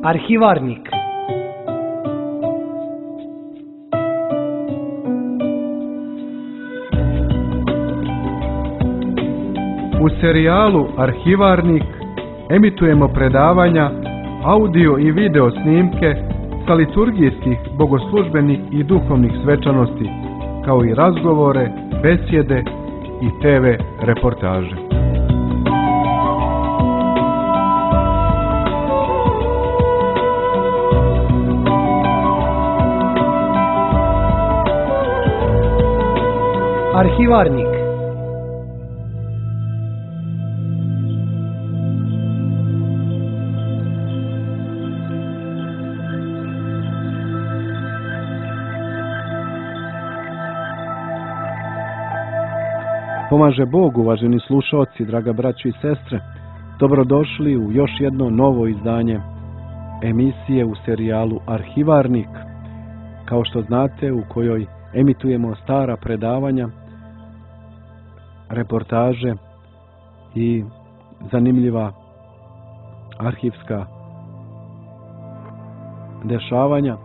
Arhivarnik. U serijalu Arhivarnik emitujemo predavanja, audio i video snimke sa liturgijskih, bogoslužbenih i duhovnih svečanosti, kao i razgovore, besjede i TV reportaže. Arhivarnik. Pomaže Bog, uvaženi slušaoci, draga braćo i sestre. Dobrodošli u još jedno novo izdanje emisije u serijalu Arhivarnik. Kao što znate, u kojoj emitujemo stara predavanja, reportaže i zanimljiva arhivska dešavanja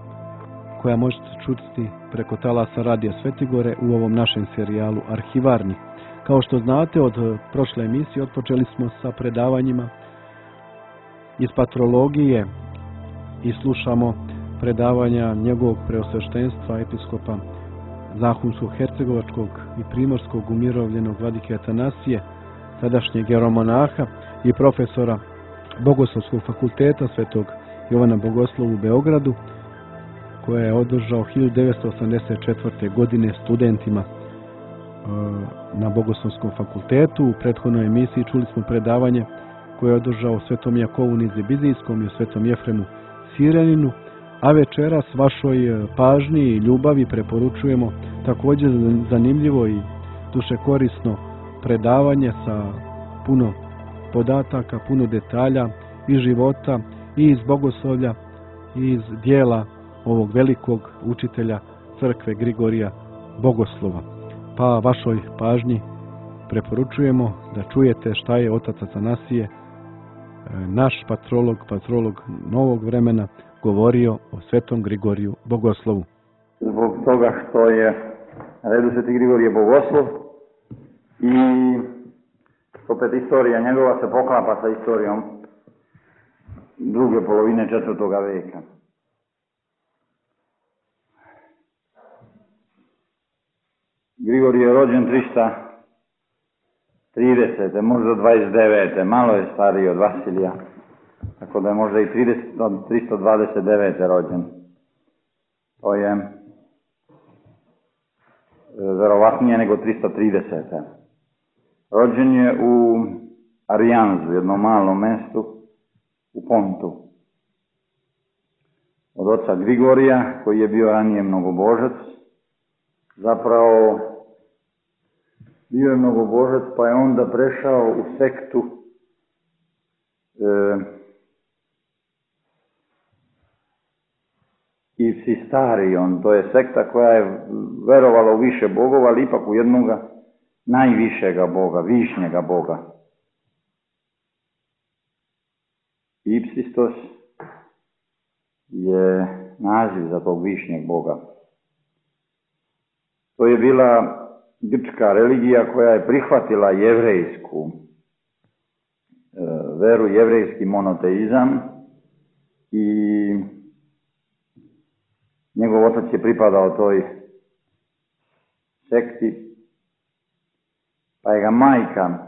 koja možete čuti preko talasa Radija Svetigore u ovom našem serijalu Arhivarnik. Kao što znate, od prošle emisije otpočeli smo sa predavanjima iz patrologije i slušamo predavanja njegovog preosveštenstva episkopa Zahumsko-hercegovačkog i primorskog umirovljenog vladike Atanasije, sadašnjeg jeromonaha i profesora Bogoslovskog fakulteta Svetog Jovana Bogoslova u Beogradu, koje je održao 1984. godine studentima na Bogoslovskom fakultetu. U prethodnoj emisiji čuli smo predavanje koje je održao Svetom Jakovu Nizibizijskom i o Svetom Jefremu Sireninu, a večeras vašoj pažnji i ljubavi preporučujemo također zanimljivo i dušekorisno predavanje sa puno podataka, puno detalja iz života i iz bogoslovlja i iz dijela ovog velikog učitelja crkve Grigorija Bogoslova. Pa vašoj pažnji preporučujemo da čujete šta je otac Atanasije, naš patrolog novog vremena, govorio o Svetom Grigoriju Bogoslovu. Zbog toga što je na redu Sveti Grigorije Bogoslov i opet istorija njegova se poklapa sa istorijom druge polovine 4. veka. Grigorije je rođen 330. možda 29. malo je stariji od Vasilija, tako da je možda i 329. rođen. To je verovatnije nego 330. Rođen je u Arijanzu, jednom malom mestu u Pontu. Od oca Grigorija, koji je bio ranije mnogobožac. Zapravo bio je mnogobožac, pa je onda prešao u sektu Ipsistarion. To je sekta koja je verovala u više bogova, ali ipak u jednoga najvišega boga, višnjega boga. Ipsistos je naziv za tog višnjeg boga. To je bila grčka religija koja je prihvatila jevrejsku veru, jevrejski monoteizam, i njegov otac je pripadao toj sekti, pa je ga majka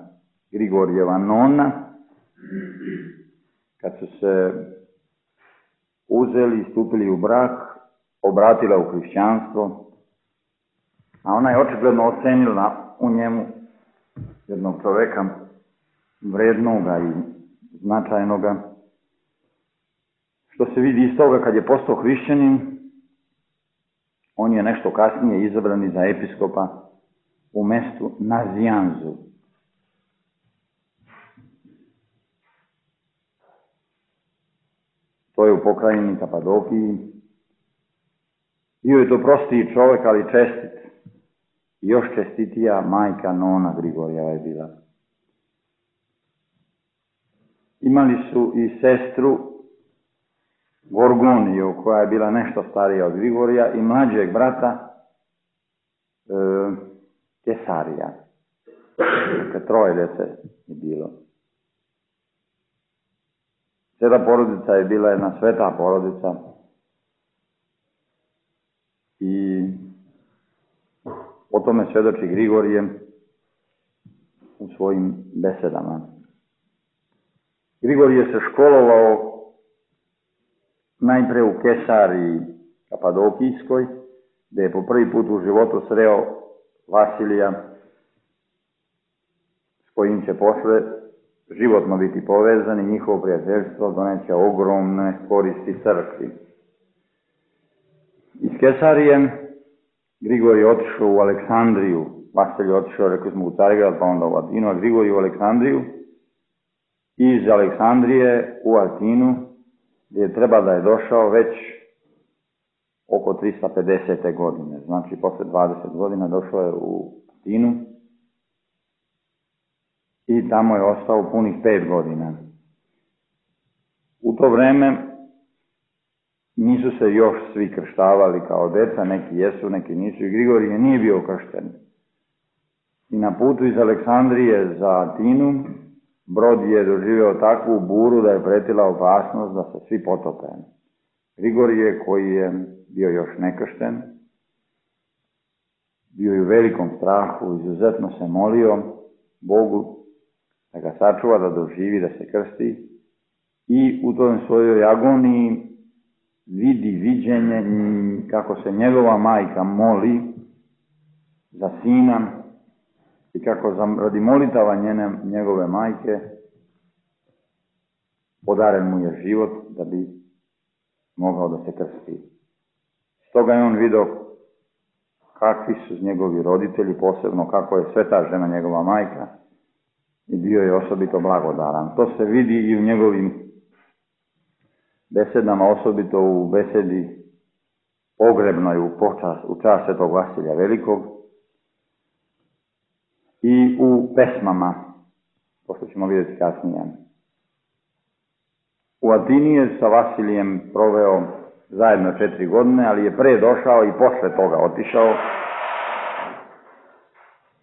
Grigorijeva nona, kad su se uzeli i stupili u brak, obratila u hrišćanstvo, a ona je očigledno ocenila u njemu jednog čoveka vrednoga i značajnoga, što se vidi iz toga kad je postao hrišćanin. On je nešto kasnije izabran za episkopa u mestu Nazijanzu. To je u pokrajini Kapadokiji. Bio je to prostiji čovjek, ali čestit. Još čestitija majka nona Grigorjeva je bila. Imali su i sestru Gorgoniju, koja je bila nešto starija od Grigorija, i mlađeg brata Kesarija. Dakle, 3 djece je bilo. Sveta porodica je bila jedna sveta porodica i o tome svjedoči Grigorije u svojim besedama. Grigorije se školovao najpre u Kesariji Kapadokijskoj, gdje je po prvi put u životu sreo Vasilija, s kojim će posle životno biti povezan i njihovo prijateljstvo doneće ogromne koristi crkvi. Iz Kesarije Grigorije otišao u Aleksandriju. Vasilij otišao, rekli smo, u Carigrad, pa onda u Atinu, a Grigorije u Aleksandriju. Iz Aleksandrije u Atinu, gdje treba da je došao već oko 350. godine. Znači, posle 20 godina došao je u Atinu i tamo je ostao punih 5 godina. U to vreme nisu se još svi krštavali kao deca, neki jesu, neki nisu, i Grigorije nije bio kršten. I na putu iz Aleksandrije za Atinu brod je doživio takvu buru da je pretila opasnost da se svi potope. Grigorije, koji je bio još nekršten, bio je u velikom strahu, izuzetno se molio Bogu da ga sačuva, da doživi, da se krsti, i u toj svojoj agoniji vidi viđenje kako se njegova majka moli za sina i kako radi molitava njegove majke podaren mu je život da bi mogao da se krsti. Stoga je on vidio kakvi su njegovi roditelji, posebno kako je sveta žena njegova majka, i bio je osobito blagodaran. To se vidi i u njegovim besedama, osobito u besedi pogrebnoj u čast svetog Vasilija Velikog i u pesmama, pošto ćemo vidjeti kasnije. U Atini je sa Vasilijem proveo zajedno 4 godine, ali je pre došao i posle toga otišao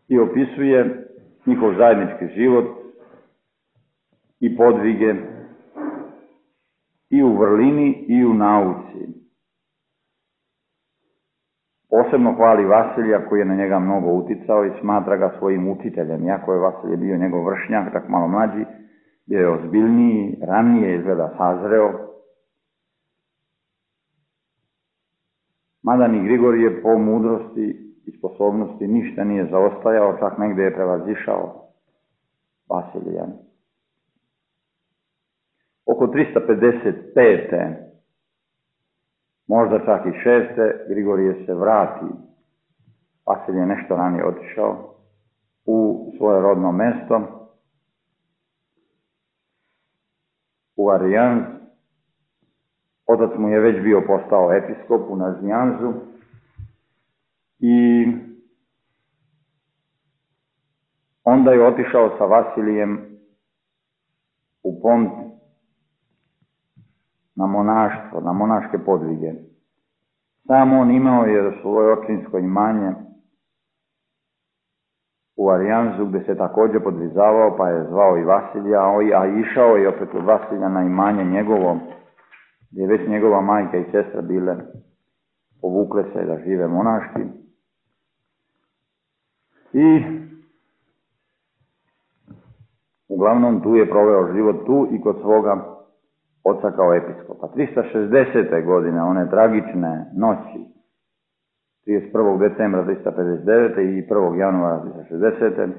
i opisuje njihov zajednički život i podvige i u vrlini i u nauci. Posebno hvali Vasilija, koji je na njega mnogo uticao i smatra ga svojim učiteljem. Iako je Vasilije bio njegov vršnjak, tak malo mlađi, bio je ozbiljniji, ranije izgleda sazreo. Mada ni Grigorije po mudrosti i sposobnosti ništa nije zaostajao, čak negdje je prevazišao Vasilija. Oko 355. možda čak i 6. Grigorije se vrati. Vasilij je nešto ranije otišao u svoje rodno mesto, u Arijanz. Otac mu je već bio postao episkop u Nazijanzu i onda je otišao sa Vasilijem u Pont na monaštvo, na monaške podvige. Sam on imao je svoje očinsko imanje u Arijanzu, gdje se također podvizavao, pa je zvao i Vasilija, a išao je opet od Vasilija na imanje njegovo, gdje je već njegova majka i sestra bile, povukle se da žive monaški. I uglavnom tu je proveo život tu i kod svoga oca kao episkopa. 360. godine, one tragične noći, 31. decembra 359. i 1. januara 360.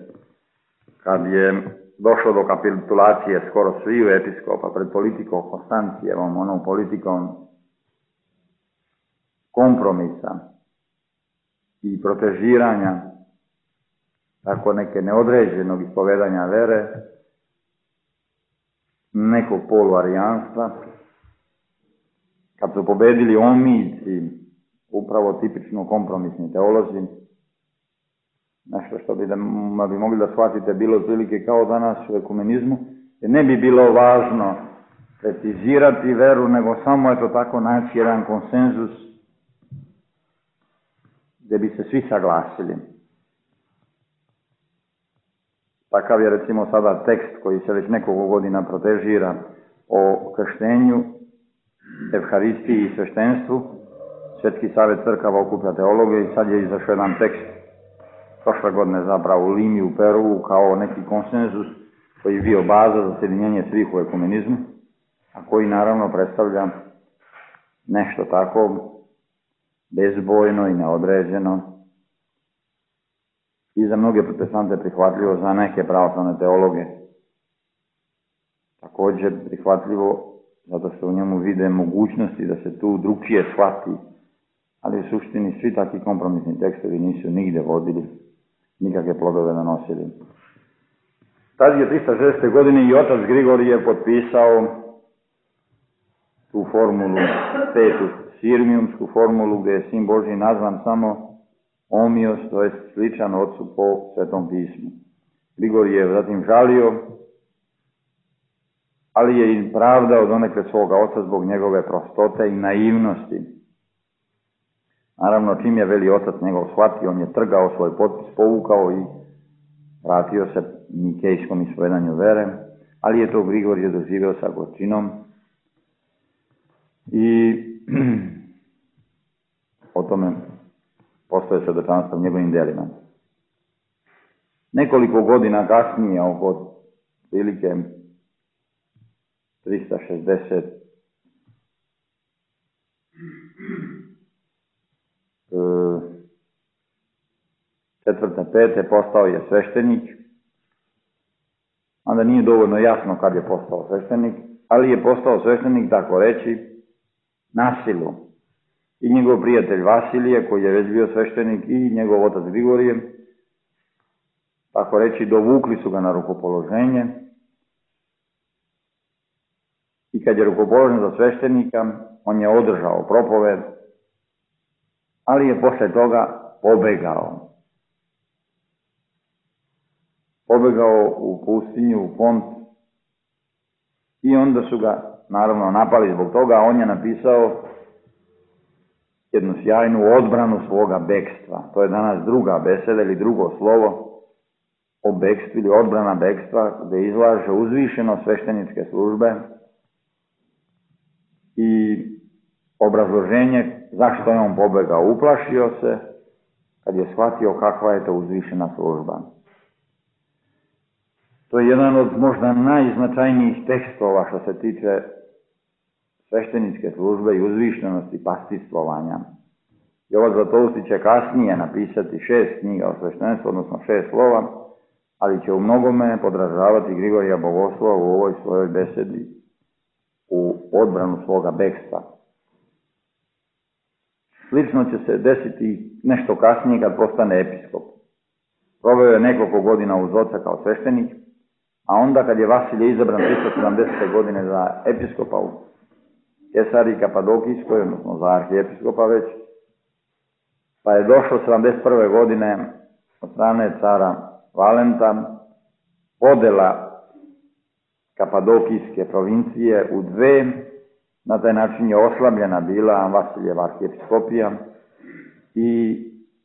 kad je došlo do kapitulacije skoro sviju episkopa pred politikom Konstancijevom, onom politikom kompromisa i protežiranja tako neke neodređenog ispovedanja vere, nekog poluarijanstva, kad su pobedili omijci, upravo tipično kompromisni teolozi, nešto što bi mogli da shvatite bilo otprilike kao danas u ekumenizmu, jer ne bi bilo važno precizirati veru, nego samo eto tako naći jedan konsenzus gdje bi se svi saglasili. Takav je recimo sada tekst koji se već nekoliko godina protežira o krštenju, evharistiji i sveštenstvu. Svjetski savjet crkava okuplja teologe i sad je izašao jedan tekst prošle godine zapravo u Limi u Peru kao neki konsenzus koji je bio baza za sjedinjenje svih u ekumenizmu, a koji naravno predstavlja nešto tako bezbojno i neodređeno i za mnoge protestante prihvatljivo, za neke pravoslavne teologe također prihvatljivo, zato što u njemu vide mogućnosti da se tu drugčije shvati, ali u suštini svi takvi kompromisni tekstovi nisu nigde vodili, nikakve plodove nanosili. Tad je 360. godine i otac Grigorije potpisao tu formulu, petu sirmijumsku formulu, gdje je sin Božji nazvan samo omios, to je sličan ocu po Svetom pismu. Grigorije je zatim žalio, ali je i pravdao donekle svoga oca zbog njegove prostote i naivnosti. Naravno, čim je veli otac njegov shvatio, on je trgao svoj potpis, povukao i vratio se nikejskom ispovedanju vere, ali je to Grigorije doživio sa gorčinom i o tome postoje svjedočanstva u njegovim djelima. Nekoliko godina kasnije, oko prilike 360 četvrte, pete, postao je sveštenik. Onda nije dovoljno jasno kad je postao sveštenik, ali je postao sveštenik, tako reći, na silu. I njegov prijatelj Vasilije, koji je već bio sveštenik, i njegov otac Grigorije, tako reći, dovukli su ga na rukopoloženje. I kad je rukopoložen za sveštenika, on je održao propoved, ali je posle toga pobegao. Pobegao u pustinju, u Pont, i onda su ga naravno napali zbog toga, a on je napisao jednu sjajnu odbranu svoga bekstva. To je danas druga beseda ili drugo slovo o bekstvu ili odbrana bekstva, gdje izlaže uzvišeno svešteničke službe i obrazloženje zašto je on pobegao. Uplašio se kad je shvatio kakva je to uzvišena služba. To je jedan od možda najznačajnijih tekstova što se tiče svešteničke službe i uzvišenosti pastistvovanja. Jovan Zlatousty će kasnije napisati 6 knjiga o sveštenstvu, odnosno 6 slova, ali će u mnogome podražavati Grigorija Bogoslova u ovoj svojoj besedi u odbranu svoga bekstva. Slično će se desiti nešto kasnije kad postane episkop. Proveo je nekoliko godina uz oca kao sveštenik, a onda kad je Vasilije izabran 370. godine za episkopa u Kesariji Kapadokijskoj, odnosno za arhijepiskopa već, pa je došlo 71. godine od strane cara Valenta podela Kapadokijske provincije u dve. Na taj način je oslabljena bila Vasilijeva arhijepiskopija i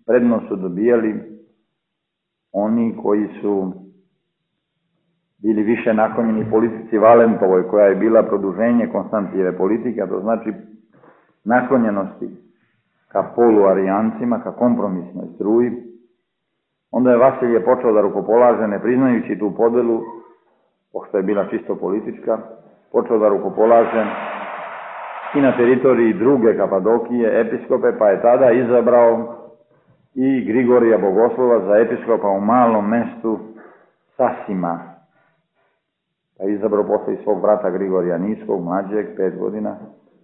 prednost su dobijali oni koji su bili više naklonjeni politici Valentovoj, koja je bila produženje Konstantijeve politike, a to znači naklonjenosti ka poluarijancima, ka kompromisnoj struji. Onda je Vasilije počeo da rukopolaže, ne priznajući tu podelu, pošto je bila čisto politička, počeo da rukopolaže i na teritoriji druge Kapadokije episkope, pa je tada izabrao i Grigorija Bogoslova za episkopa u malom mestu Sasima. Pa je izabrao posle i svog brata Grigorija Niskog, mlađeg, 5 godina,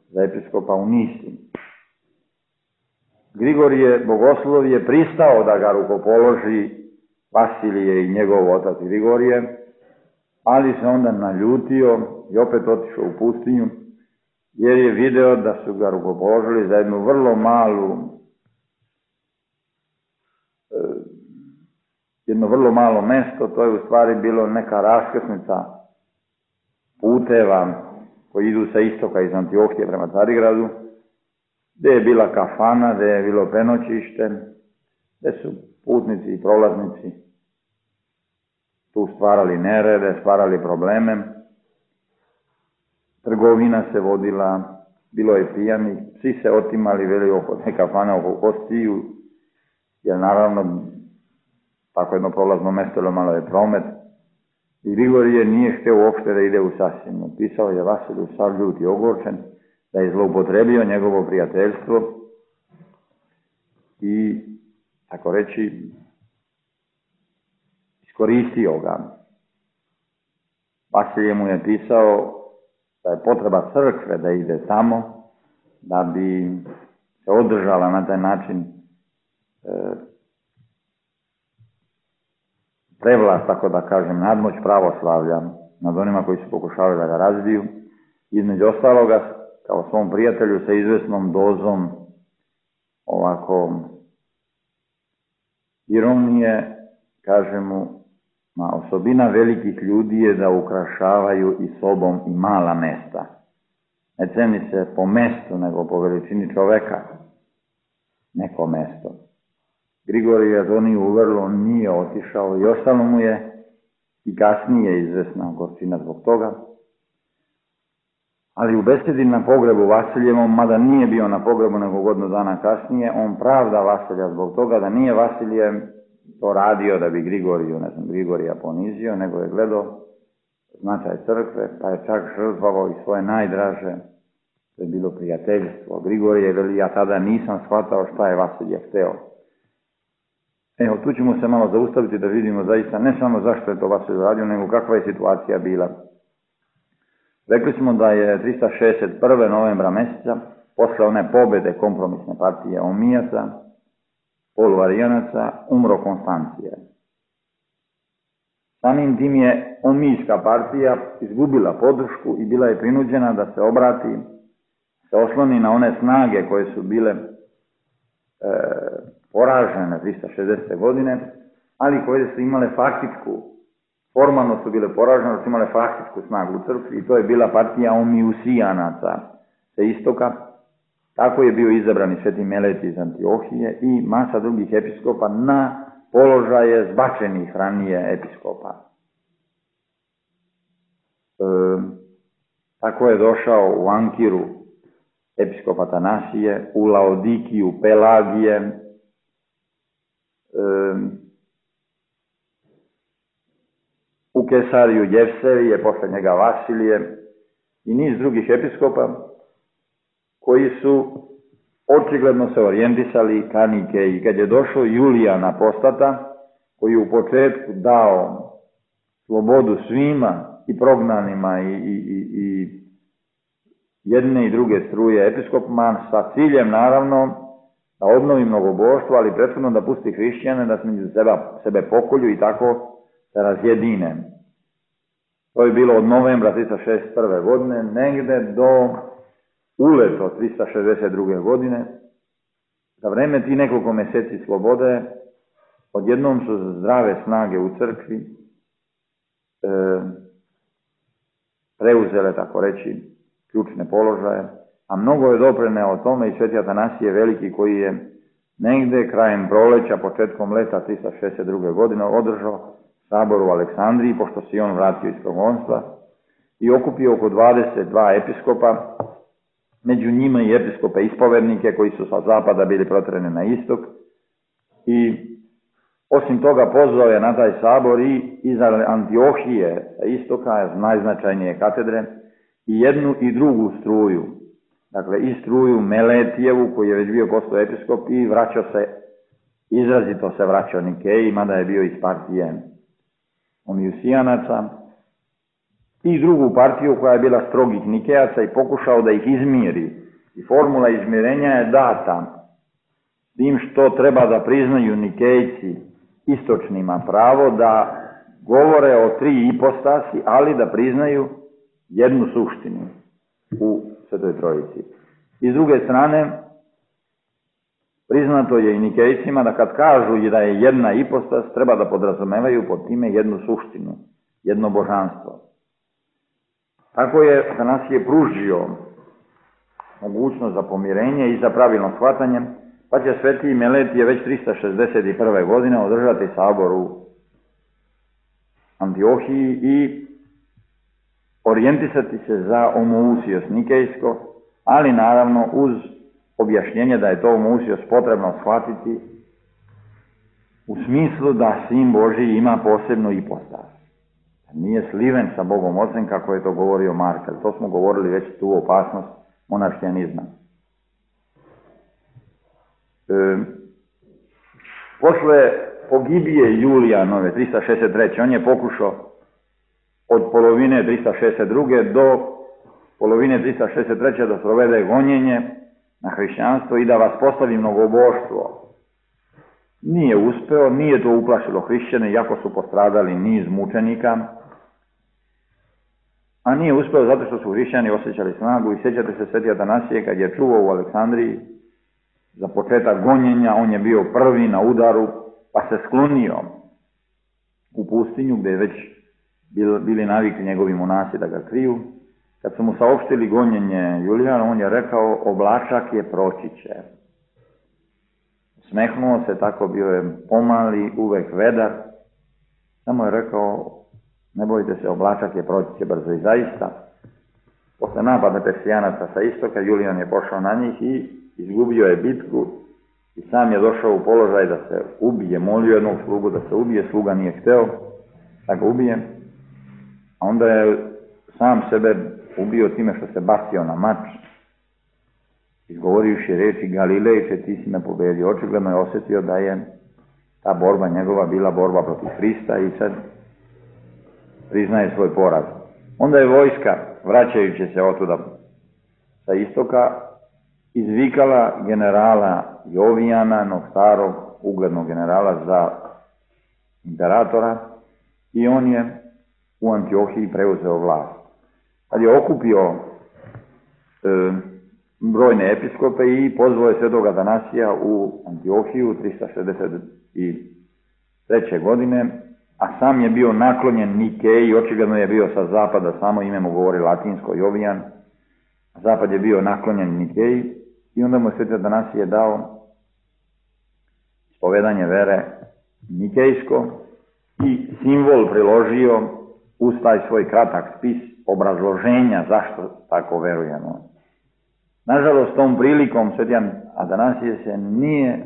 za episkopa u Nisi. Grigorije Bogoslov je pristao da ga rukopoloži Vasilije i njegov otac Grigorije, ali se onda naljutio i opet otišao u pustinju, jer je video da su ga rukopoložili za jednu vrlo malu, jedno vrlo malo mesto. To je u stvari bilo neka raskrsnica puteva koji idu sa istoka iz Antiohije prema Carigradu, gdje je bila kafana, gdje je bilo prenoćište, gdje su putnici i prolaznici tu stvarali nerede, stvarali probleme. Trgovina se vodila, bilo je pijanih, svi se otimali, veli oko te kafane, oko kostiju, jer naravno tako jedno prolazno mjesto, malo je promet. I Grigorije nije htio uopšte da ide u Sasinu. Pisao je Vasiliju sav ljut i ogorčen, da je zloupotrebio njegovo prijateljstvo i, tako reći, iskoristio ga. Vasilije mu je pisao da je potreba crkve da ide tamo, da bi se održala na taj način prevlast, tako da kažem, nadmoć pravoslavlja nad onima koji su pokušavali da ga razbiju. Između ostaloga, kao svom prijatelju sa izvesnom dozom ovako ironije, kaže mu, osobina velikih ljudi je da ukrašavaju i sobom i mala mesta. Ne ceni se po mestu, nego po veličini čoveka neko mesto. Grigorije to nije uvrlo, nije otišao i ostalo mu je i kasnije izvesna gorčina zbog toga. Ali u besedi na pogrebu Vasiljevom, mada nije bio na pogrebu nego godinu dana kasnije, on pravda Vasilja zbog toga da nije Vasilje to radio da bi Grigorija ponizio, nego je gledao značaj crkve, pa je čak žrtvovao i svoje najdraže, to je bilo prijateljstvo. Grigorije veli, ja tada nisam shvatao šta je Vasilje hteo. Evo, tu ćemo se malo zaustaviti da vidimo zaista ne samo zašto je to Vasilje radio, nego kakva je situacija bila. Rekli smo da je 361. novembra mjeseca, posle one pobjede kompromisne partije Omijaca, poluarijanaca, umro Konstancije. Samim tim je Omijska partija izgubila podršku i bila je prinuđena da se obrati, se osloni na one snage koje su bile poražene 360. godine, ali koje su imale faktičku, formalno su bile poražene, su imale faktičku snagu u crkvi i to je bila partija Omijusijanaca sa istoka. Tako je bio izabran i Sveti Meleti iz Antiohije i masa drugih episkopa na položaje zbačenih ranije episkopa. Tako je došao u Ankiru episkop Atanasije, u Laodikiju Pelagije, u Kesariju Jevsevije, posle njega Vasilije i niz drugih episkopa koji su očigledno se orijentisali ka Nikeji. I kad je došao Julijan Apostata, koji je u početku dao slobodu svima i prognanima i jedne i druge struje episkopima, sa ciljem naravno da obnovi mnogoboštvo, ali prethodno da pusti hrišćane, da među sebe pokolju i tako se razjedine. To je bilo od novembra 361. godine, negde do uleto 362. godine. Za vreme ti nekoliko meseci slobode, odjednom su zdrave snage u crkvi preuzele, tako reći, ključne položaje, a mnogo je doprineo o tome i Sveti Atanasije Veliki, koji je negde krajem proleća, početkom leta 362. godine održao sabor u Aleksandriji, pošto se on vratio iz progonstva, i okupio oko 22 episkopa, među njima i episkope ispovednike koji su sa zapada bili protjerani na istok, i osim toga pozvao je na taj sabor i iz Antiohije sa istoka, najznačajnije katedre, i jednu i drugu struju, dakle i struju Meletijevu, koji je već bio postao episkop, i izrazito se vraćao Nikeji, mada je bio iz partije Omijusijanaca, i drugu partiju koja je bila strogih Nikejaca i pokušao da ih izmiri. I formula izmirenja je data tim što treba da priznaju Nikejci istočnima pravo da govore o tri ipostasi, ali da priznaju jednu suštinu u Svetoj Trojici. I s druge strane, priznato je i Nikejcima da kad kažu da je jedna ipostas, treba da podrazumevaju pod time jednu suštinu, jedno božanstvo. Tako je Atanasije pružio mogućnost za pomirenje i za pravilno shvatanje, pa će Sveti Meletije već 361. godine održati sabor u Antiohiji i orijentisati se za Omousijos Nikejsko, ali naravno uz objašnjenje da je to Omousijos potrebno shvatiti u smislu da Sin Božji ima posebnu ipostas. Nije sliven sa Bogom Ocem, kako je to govorio Markel. To smo govorili već tu opasnost monarhijanizma. Posle pogibije Julijanove 363. on je pokušao od polovine 362. do polovine 363. da provede gonjenje na hrišćanstvo i da vas postavi mnogoboštvo. Nije uspeo, nije to uplašilo hrišćane, iako su postradali niz mučenika, a nije uspeo zato što su hrišćani osjećali snagu. I sjećate se Sveti Atanasije kad je čuvao u Aleksandriji za početak gonjenja, on je bio prvi na udaru, pa se sklonio u pustinju gdje je već bili navikli njegovi monasi da ga kriju. Kad su mu saopštili gonjenje Julijana, on je rekao: oblačak je, proći će. Smehnuo se, tako bio je pomali, uvek vedar. Samo je rekao: ne bojte se, oblačak je, proći će brzo. I zaista, posle napada Persijanaca sa istoka, Julijan je pošao na njih i izgubio je bitku i sam je došao u položaj da se ubije. Molio jednog slugu da se ubije, sluga nije hteo da ga ubije. A onda je sam sebe ubio time što se bacio na mač, izgovorivši reči: Galilejče, ti si me pobedio. Očigledno je osjetio da je ta borba njegova bila borba protiv Hrista i sad priznaje svoj poraz. Onda je vojska, vraćajući se otuda sa istoka, izvikala generala Jovijana, no starog uglednog generala, za imperatora, i on je u Antiohiji preuzeo vlast. Kad je okupio brojne episkope i pozvao je Svetog Atanasija u Antiohiju 363. godine, a sam je bio naklonjen Nikeji, očigledno je bio sa zapada, samo ime mu govori latinsko, Jovijan, a zapad je bio naklonjen Nikeji, i onda mu je Sveti Atanasije dao ispovedanje vere nikejsko i simbol priložio uz taj svoj kratak spis obrazloženja zašto tako verujemo. Nažalost, tom prilikom Sveti Atanasije se nije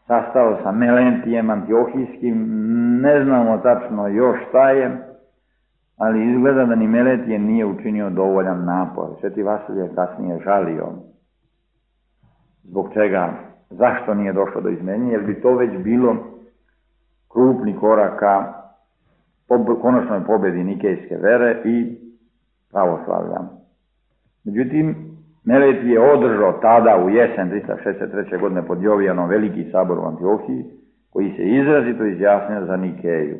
sastao sa Meletijem Antiohijskim, ne znamo tačno još šta je, ali izgleda da ni Meletije nije učinio dovoljan napor. Sveti Vasilije je kasnije žalio zbog čega, zašto nije došlo do izmenjenja, jer bi to već bilo krupni korak ka konačnoj pobjedi nikejske vere i pravoslavlja. Međutim, Meletije je održao tada u jesen 363. godine pod Jovijanom veliki sabor u Antiohiji, koji se izrazito izjasnio za Nikeju.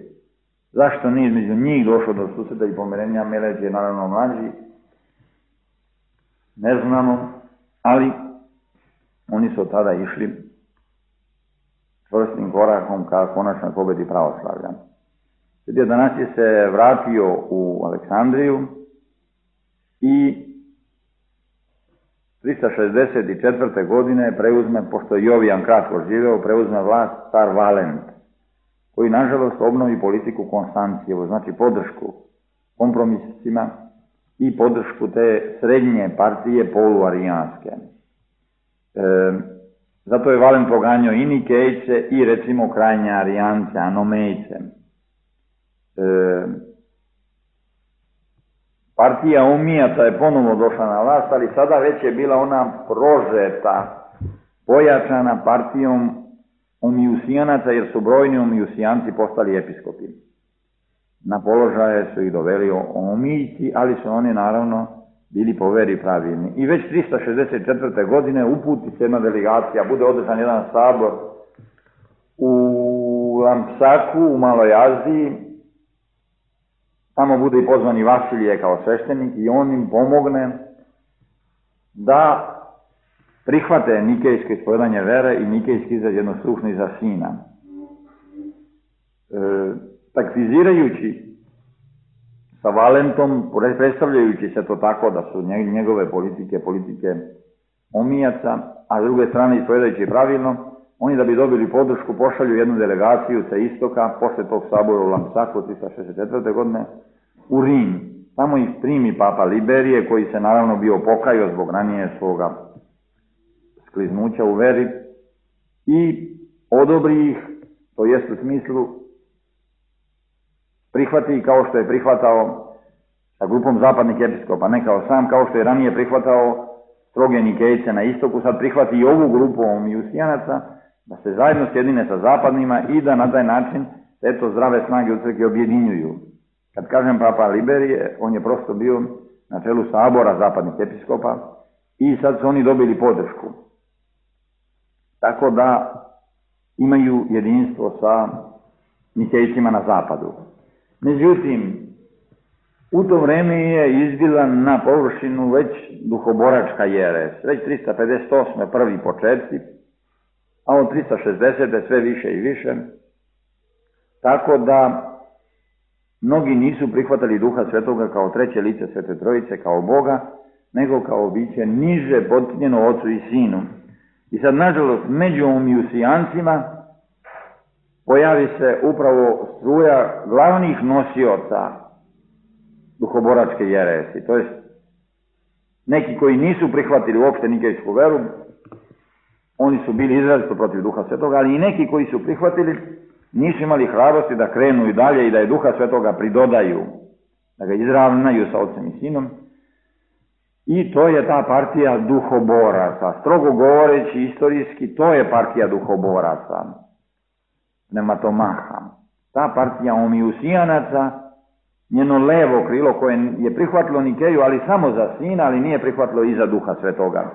Zašto nije između njih došlo do susreta i pomirenja? Meletije je naravno mlađi, ne znamo, ali oni su tada išli čvrstim korakom ka konačnoj pobjedi pravoslavlja. Sveti Atanasije se vratio u Aleksandriju i 364. godine preuzme, pošto je Jovijan kratko živeo, preuzme vlast car Valent, koji nažalost obnovi politiku Konstancijevu, znači podršku kompromisima i podršku te srednje partije poluarijanske. Zato je Valent proganjao i Nikejce i recimo krajnje arijance, Anomejce. Partija Omijaca je ponovno došla na vlast, ali sada već je bila ona prožeta, pojačana partijom Omijusijanaca, jer su brojni Omijusijanci postali episkopi. Na položaje su ih doveli Omijci, ali su oni naravno bili po veri pravilni. I već 364. godine uputi se jedna delegacija, bude održan jedan sabor u Lampsaku, u Maloj Aziji. Tamo bude i pozvani Vasilije kao sveštenik i on im pomogne da prihvate nikejsko ispovedanje vere i nikejski izraz jednostručni za sina. Taktizirajući sa Valentom, predstavljajući se to tako da su njegove politike omijaca, a s druge strane ispovedajući pravilno, oni da bi dobili podršku pošalju jednu delegaciju sa istoka, posle tog sabora u Lamsaku 364. godine, u Rim. Tamo ih primi papa Liberije, koji se naravno bio pokajao zbog ranije svoga skliznuća u veri, i odobri ih, to jest u smislu prihvati kao što je prihvatao sa grupom zapadnih episkopa, ne kao sam, kao što je ranije prihvatao stroge Nikejce na istoku, sad prihvati i ovu grupu Omijusijanaca, da se zajedno sjedine sa zapadnima i da na taj način eto zdrave snage u crkvi objedinjuju. Kad kažem papa Liberije, on je prosto bio na čelu sabora zapadnih episkopa i sad su oni dobili podršku. Tako da imaju jedinstvo sa Nikejcima na zapadu. Međutim, u to vreme je izbila na površinu već duhoboračka jeres. Već 358. prvi početci, a od 360. sve više i više. Tako da mnogi nisu prihvatali Duha Svetoga kao treće lice Svete Trojice, kao Boga, nego kao biće niže potčinjeno Ocu i Sinu. I sad, nažalost, među Omijusijancima pojavi se upravo struja glavnih nosioca duhoboračke jeresi. To jest, neki koji nisu prihvatili uopšte nikejsku veru, oni su bili izrazito protiv Duha Svetoga, ali i neki koji su prihvatili nisu imali hrabrosti da krenu i dalje i da je Duha Svetoga pridodaju, da ga izravnaju sa Otcem i Sinom. I to je ta partija duhoboraca. Strogo govoreći istorijski, to je partija duhoboraca. Pneumatomaha. Ta partija Omijusijanaca, njeno levo krilo koje je prihvatilo Nikeju, ali samo za Sina, ali nije prihvatilo i za Duha Svetoga.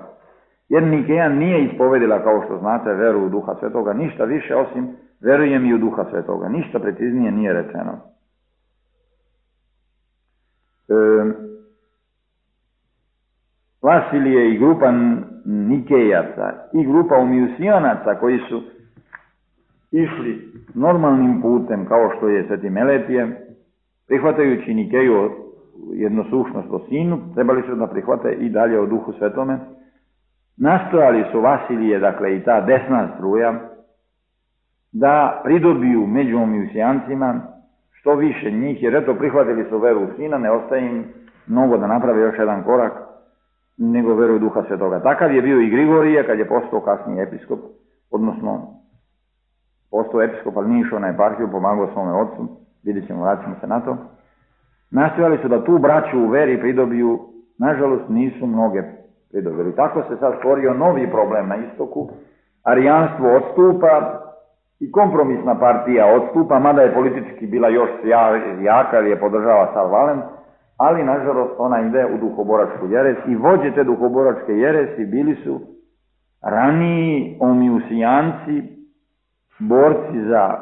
Jer Nikeja nije ispovedila, kao što znate, veru u Duha Svetoga, ništa više osim verujem i u Duha Svetoga. Ništa preciznije nije rečeno. Vasilije i grupa Nikejaca i grupa Omijusijanaca koji su išli normalnim putem kao što je Sveti Meletije, prihvatajući Nikeju jednosušnost o Sinu, trebali su da prihvate i dalje o Duhu Svetome. Nastojali su Vasilije, dakle i ta desna struja, da pridobiju među Omijusijancima što više njih, jer eto prihvatili su veru u Sina, ne ostaje im mnogo da naprave još jedan korak, nego veru u Duha Svetoga. Takav je bio i Grigorije kad je postao kasniji episkop, odnosno postao episkop, ali nije išao na eparhiju, pomagao svome ocu, vidjet ćemo, vraćamo se na to. Nastojali su da tu braću u veri pridobiju, nažalost nisu mnoge pridobili. Tako se sad stvorio novi problem na istoku, arijanstvo odstupa i kompromisna partija odstupa, mada je politički bila još jaka jer je podržava Sav Valent, ali nažalost ona ide u duhoboračku jeres i vođe te duhoboračke jeresi bili su raniji Omijusijanci, borci za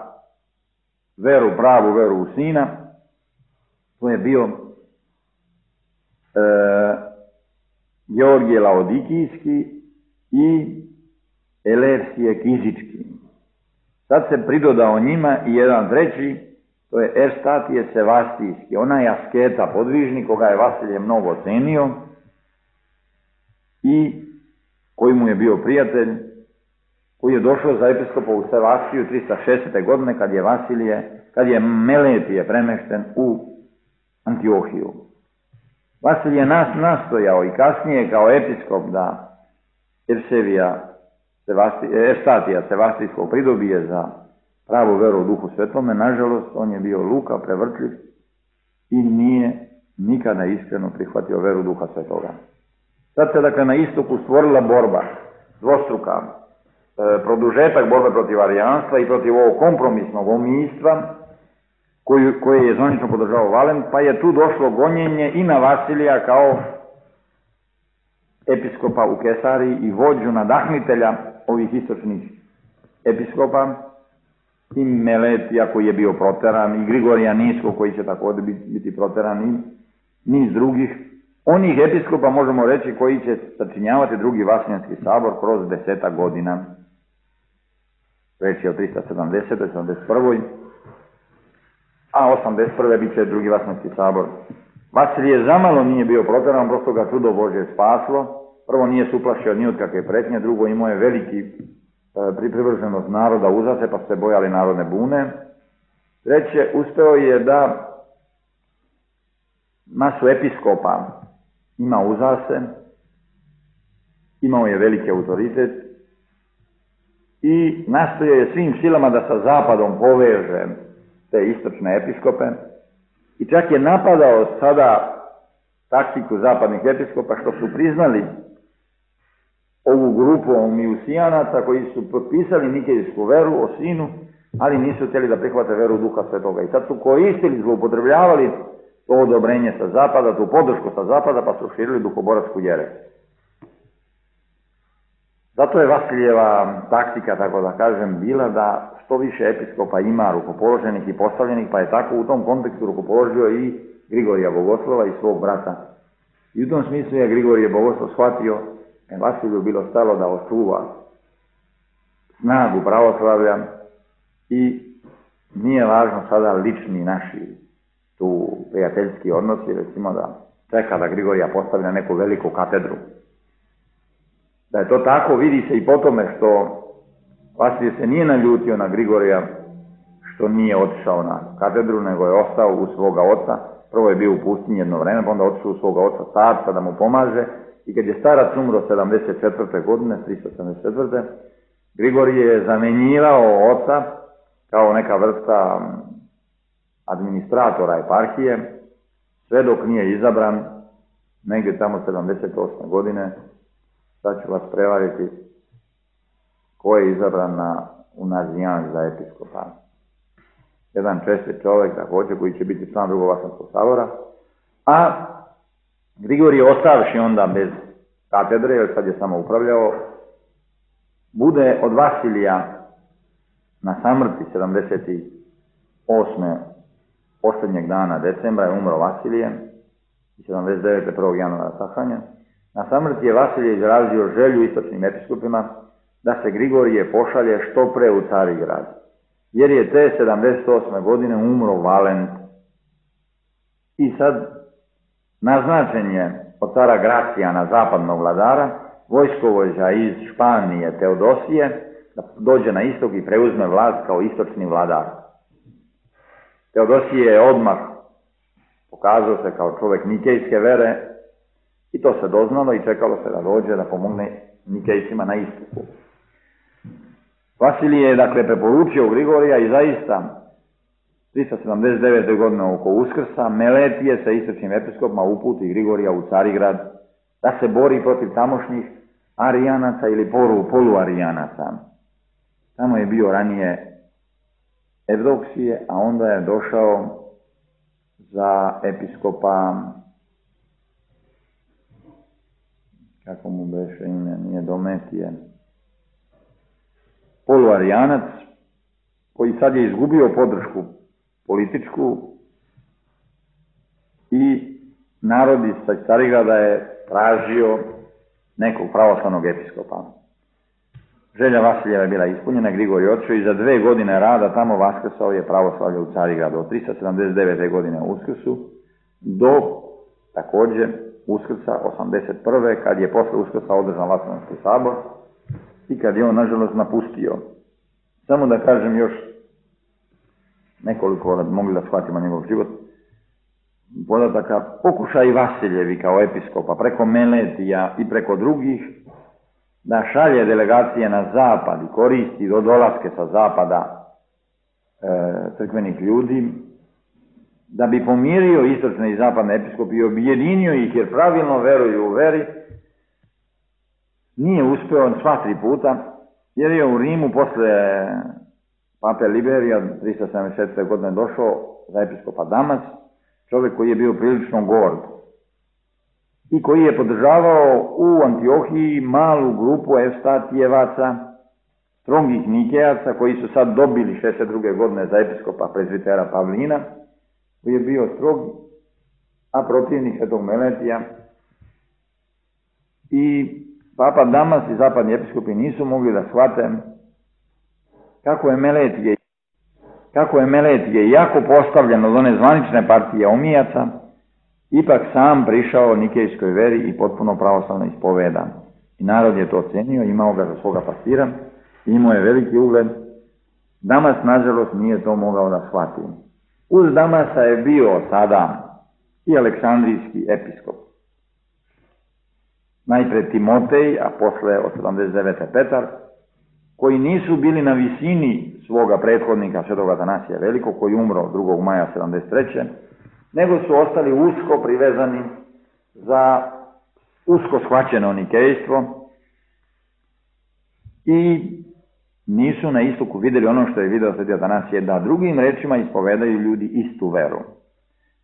veru, pravu veru u Sina. To je bio Georgije Laodikijski i Elersije Kizički. Sad se pridodao njima i jedan treći, to je Erstatije Sevastijski, onaj asketa, podvižnik, koga je Vasilije mnogo cenio i koji mu je bio prijatelj, koji je došao za episkopa u Sevastiju 360. godine kad je Meletije premešten u Antiohiju. Vasilije nastojao i kasnije kao episkop da Erstatija Sevastijskog pridobije za pravu veru u Duhu Svetome. Nažalost, on je bio luka, prevrtljiv i nije nikada iskreno prihvatio veru Duha Svetoga. Sad se dakle na istoku stvorila borba dvostruka, produžetak borbe protiv arijanstva i protiv ovog kompromisnog omijstva koje je zvanično podržao Valent, pa je tu došlo gonjenje i na Vasilija kao episkopa u Kesariji i vođu nadahnitelja ovih istočnih episkopa, i Meletija koji je bio proteran, i Grigorija Niskog koji će također biti proteran, i niz drugih. Onih episkopa možemo reći koji će sačinjavati drugi Vasiljanski sabor kroz 10 godina. Reći je o 370. 71. a 81. bit će drugi Vaseljenski sabor. Vasilije zamalo nije bio protjeran, prosto ga čudo Božje spaslo. Prvo nije se uplašio ni od kakve pretnje, drugo imao je veliki privrženost naroda uza se, pa su se bojali narodne bune. Treće, uspeo je da masu episkopa ima uza se, imao je veliki autoritet i nastojao je svim silama da sa zapadom poveže te istočne episkope i čak je napadao sada taktiku zapadnih episkopa što su priznali ovu grupu Mijusijanaca koji su potpisali nikejsku veru o sinu, ali nisu htjeli da prihvate veru Duha Svetoga. I sad su koristili, zloupotrebljavali to odobrenje sa zapada, tu podršku sa zapada, pa su širili duhoboračku jeres. Zato je Vasilijeva taktika, tako da kažem, bila da što više episkopa ima rukopoloženih i postavljenih, pa je tako u tom kontekstu rukopoložio i Grigorija Bogoslova i svog brata. I u tom smislu je Grigorije Bogoslov shvatio da je Vasiliju bilo stalo da očuva snagu pravoslavlja i nije važno sada lični naši tu prijateljski odnosi, recimo da čeka da Grigorija postavlja neku veliku katedru. Da je to tako vidi se i po tome što Vasilije se nije naljutio na Grigorija što nije otišao na katedru, nego je ostao u svoga oca. Prvo je bio u pustinji jedno vreme, pa onda otišao u svoga oca starca da mu pomaže i kad je starac umro 74. godine, 374. Grigorije je zamenjivao oca kao neka vrsta administratora eparhije, sve dok nije izabran, negdje tamo 78. godine, sad ću vas prevariti ko je izabran u Nazijan za episkopa. Jedan čestit čovjek također koji će biti član drugog Vaseljenskog sabora, a Grigorije ostavši onda bez katedre, jer sad je samo upravljao, bude od Vasilija na samrti 78. posljednjeg dana decembra je umro Vasilije i 79. 1. januara sahranjen. Na samrti je Vasilije izrazio želju istočnim episkopima da se Grigorije pošalje što pre u Carigrad, jer je te 78. godine umro Valent. I sad naznačen je od cara Gracijana, zapadnog vladara, vojskovođa iz Španije Teodosije, da dođe na istok i preuzme vlast kao istočni vladar. Teodosije je odmah pokazao se kao čovjek nikejske vere i to se doznalo i čekalo se da dođe da pomogne nikejcima na istoku. Vasilije je dakle preporučio Grigorija i zaista 379. godine oko Uskrsa Meletije sa istočnim episkopima uputi Grigorija u Carigrad da se bori protiv tamošnjih Arijanaca ili poluarijanaca. Tamo je bio ranije Evdoksije, a onda je došao za episkopa, kako mu beše ime, nije Dometije, poluarijanac, koji sad je izgubio podršku političku i narod iz Carigrada je tražio nekog pravoslavnog episkopa. Želja Vasilijeva je bila ispunjena, Grigorije otišao i za 2 godine rada tamo vaskrsao je pravoslavlje u Carigradu od 379. godine u Uskrsu do također Uskrsa 81. kad je posle Uskrsa održan Vaseljenski sabor i kad je on nažalost napustio. Samo da kažem još nekoliko, da bi mogli da shvatimo njegov život, podataka. Pokušaj Vasiljevi kao episkopa preko Meletija i preko drugih da šalje delegacije na zapad i koristi do dolaske sa zapada crkvenih ljudi, da bi pomirio istočne i zapadne episkope i objedinio ih jer pravilno veruju u veri, nije uspeo sva 3 puta, jer je u Rimu posle pape Liberija 374. godine došao za episkopa Damas, čovjek koji je bio prilično gord i koji je podržavao u Antiohiji malu grupu Evstatijevaca, strongih Nikejaca, koji su sad dobili 62. godine za episkopa prezbitera Pavlina, koji je bio strog, a protivnik svetog Meletija. I papa Damas i zapadni episkopi nisu mogli da shvate kako je Meletije kako je Meletije jako postavljen od one zvanične partije Omijaca, ipak sam prišao nikejskoj veri i potpuno pravoslavno ispovedan. I narod je to ocenio, imao ga za svoga pastira, imao je veliki ugled. Damas, nažalost, nije to mogao da shvati. Uz Damasa je bio sada i aleksandrijski episkop. Najpre Timotej, a posle od 79. Petar, koji nisu bili na visini svoga prethodnika svetog Atanasija Velikog, koji umro 2. maja 73. nego su ostali usko privezani za usko shvaćeno nikejstvo i nisu na istoku vidjeli ono što je video sveti Atanasije, da drugim rečima ispovedaju ljudi istu veru.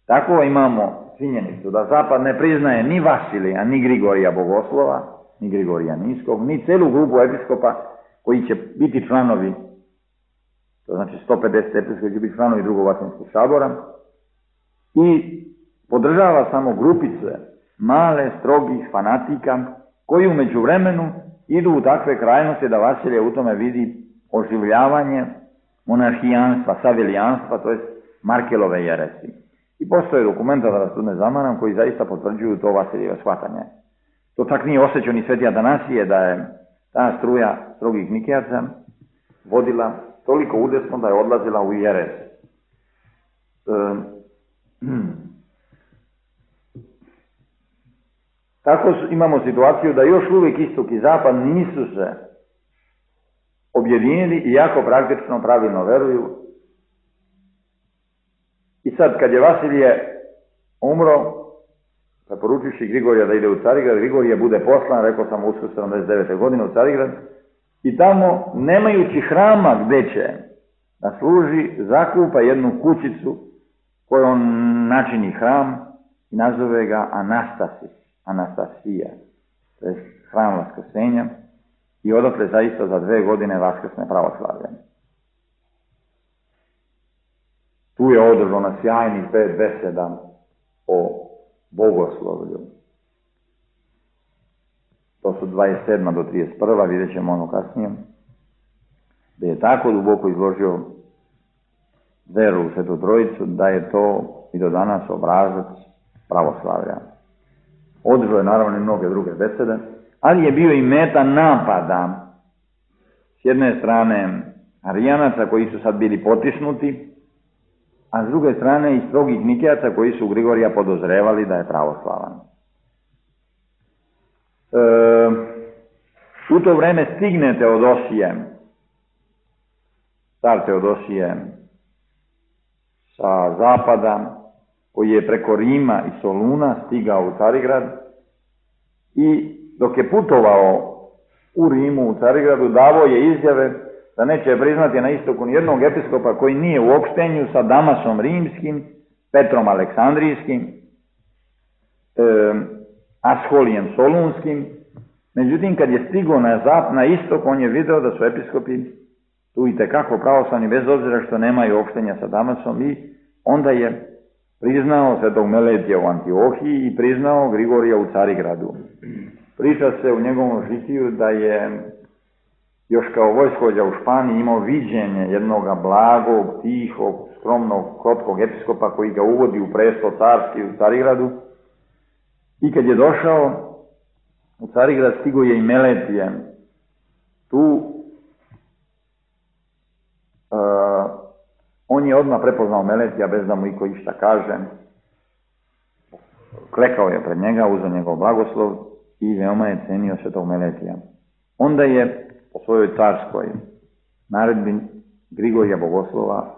Tako imamo činjenicu da Zapad ne priznaje ni Vasilija, ni Grigorija Bogoslova, ni Grigorija Niskog, ni celu grupu episkopa koji će biti članovi, to znači 150 episkopa koji će biti članovi Drugog Vaseljenskog sabora, i podržava samo grupice male, strogih fanatika koji u međuvremenu idu u takve krajnosti da Vasilije u tome vidi oživljavanje monarhijanstva, savilijanstva, to je Markelove jeresi. I postoje dokumenta, da vas tu ne zamaram, koji zaista potvrđuju to Vasilijeve shvatanje. To čak nije osjećao ni sveti Atanasije, da je ta struja strogih Nikejaca vodila toliko udesno da je odlazila u jeres. Tako imamo situaciju da još uvijek istok i zapad nisu se objedinili i jako praktično pravilno veruju. I sad kad je Vasilije umro, preporučivši Grigorija da ide u Carigrad, Grigorije bude poslan, rekao sam u 79. godine u Carigrad, i tamo, nemajući hrama gde će da služi, zakupa jednu kućicu koju on načini hram i nazove ga Anastasija, to je hram Vaskrsenja, i odatle zaista za 2 godine vaskrsne pravoslavlje. Tu je održano sjajnih 5 beseda o bogoslovlju. To su 27. do 31. vidjet ćemo ono kasnije, gdje je tako duboko izložio veru u Svetu Trojicu da je to i do danas obrazac pravoslavlja. Održao je naravno i mnoge druge besede, ali je bio i meta napada s jedne strane Arijanaca koji su sad bili potisnuti, a s druge strane i strogih Nikejaca koji su Grigorija podozrevali da je pravoslavan. U to vreme stigne Teodosije, car Teodosije sa zapada, koji je preko Rima i Soluna stigao u Carigrad, i dok je putovao u Rimu, u Carigradu, davao je izjave da neće priznati na istoku nijednog episkopa koji nije u opštenju sa Damasom Rimskim, Petrom Aleksandrijskim, Asholijem Solunskim. Međutim, kad je stigao na istok, on je video da su episkopi tu i tekako pravoslavni, bez obzira što nemaju opštenja sa Damasom, i onda je priznao svetog Meletija u Antiohiji i priznao Grigorija u Carigradu. Priča se u njegovom žitiju da je još kao vojskovođa u Španiji imao viđenje jednog blagog, tihog, skromnog, krotkog episkopa koji ga uvodi u presto carski u Carigradu. I kad je došao u Carigrad, stigo je i Meletije. Tu on je odmah prepoznao Meletija bez da mu iko išta kaže. Klekao je pred njega, uzeo njegov blagoslov i veoma je cenio svetog Meletija. Onda je po svojoj carskoj naredbi Grigorija Bogoslova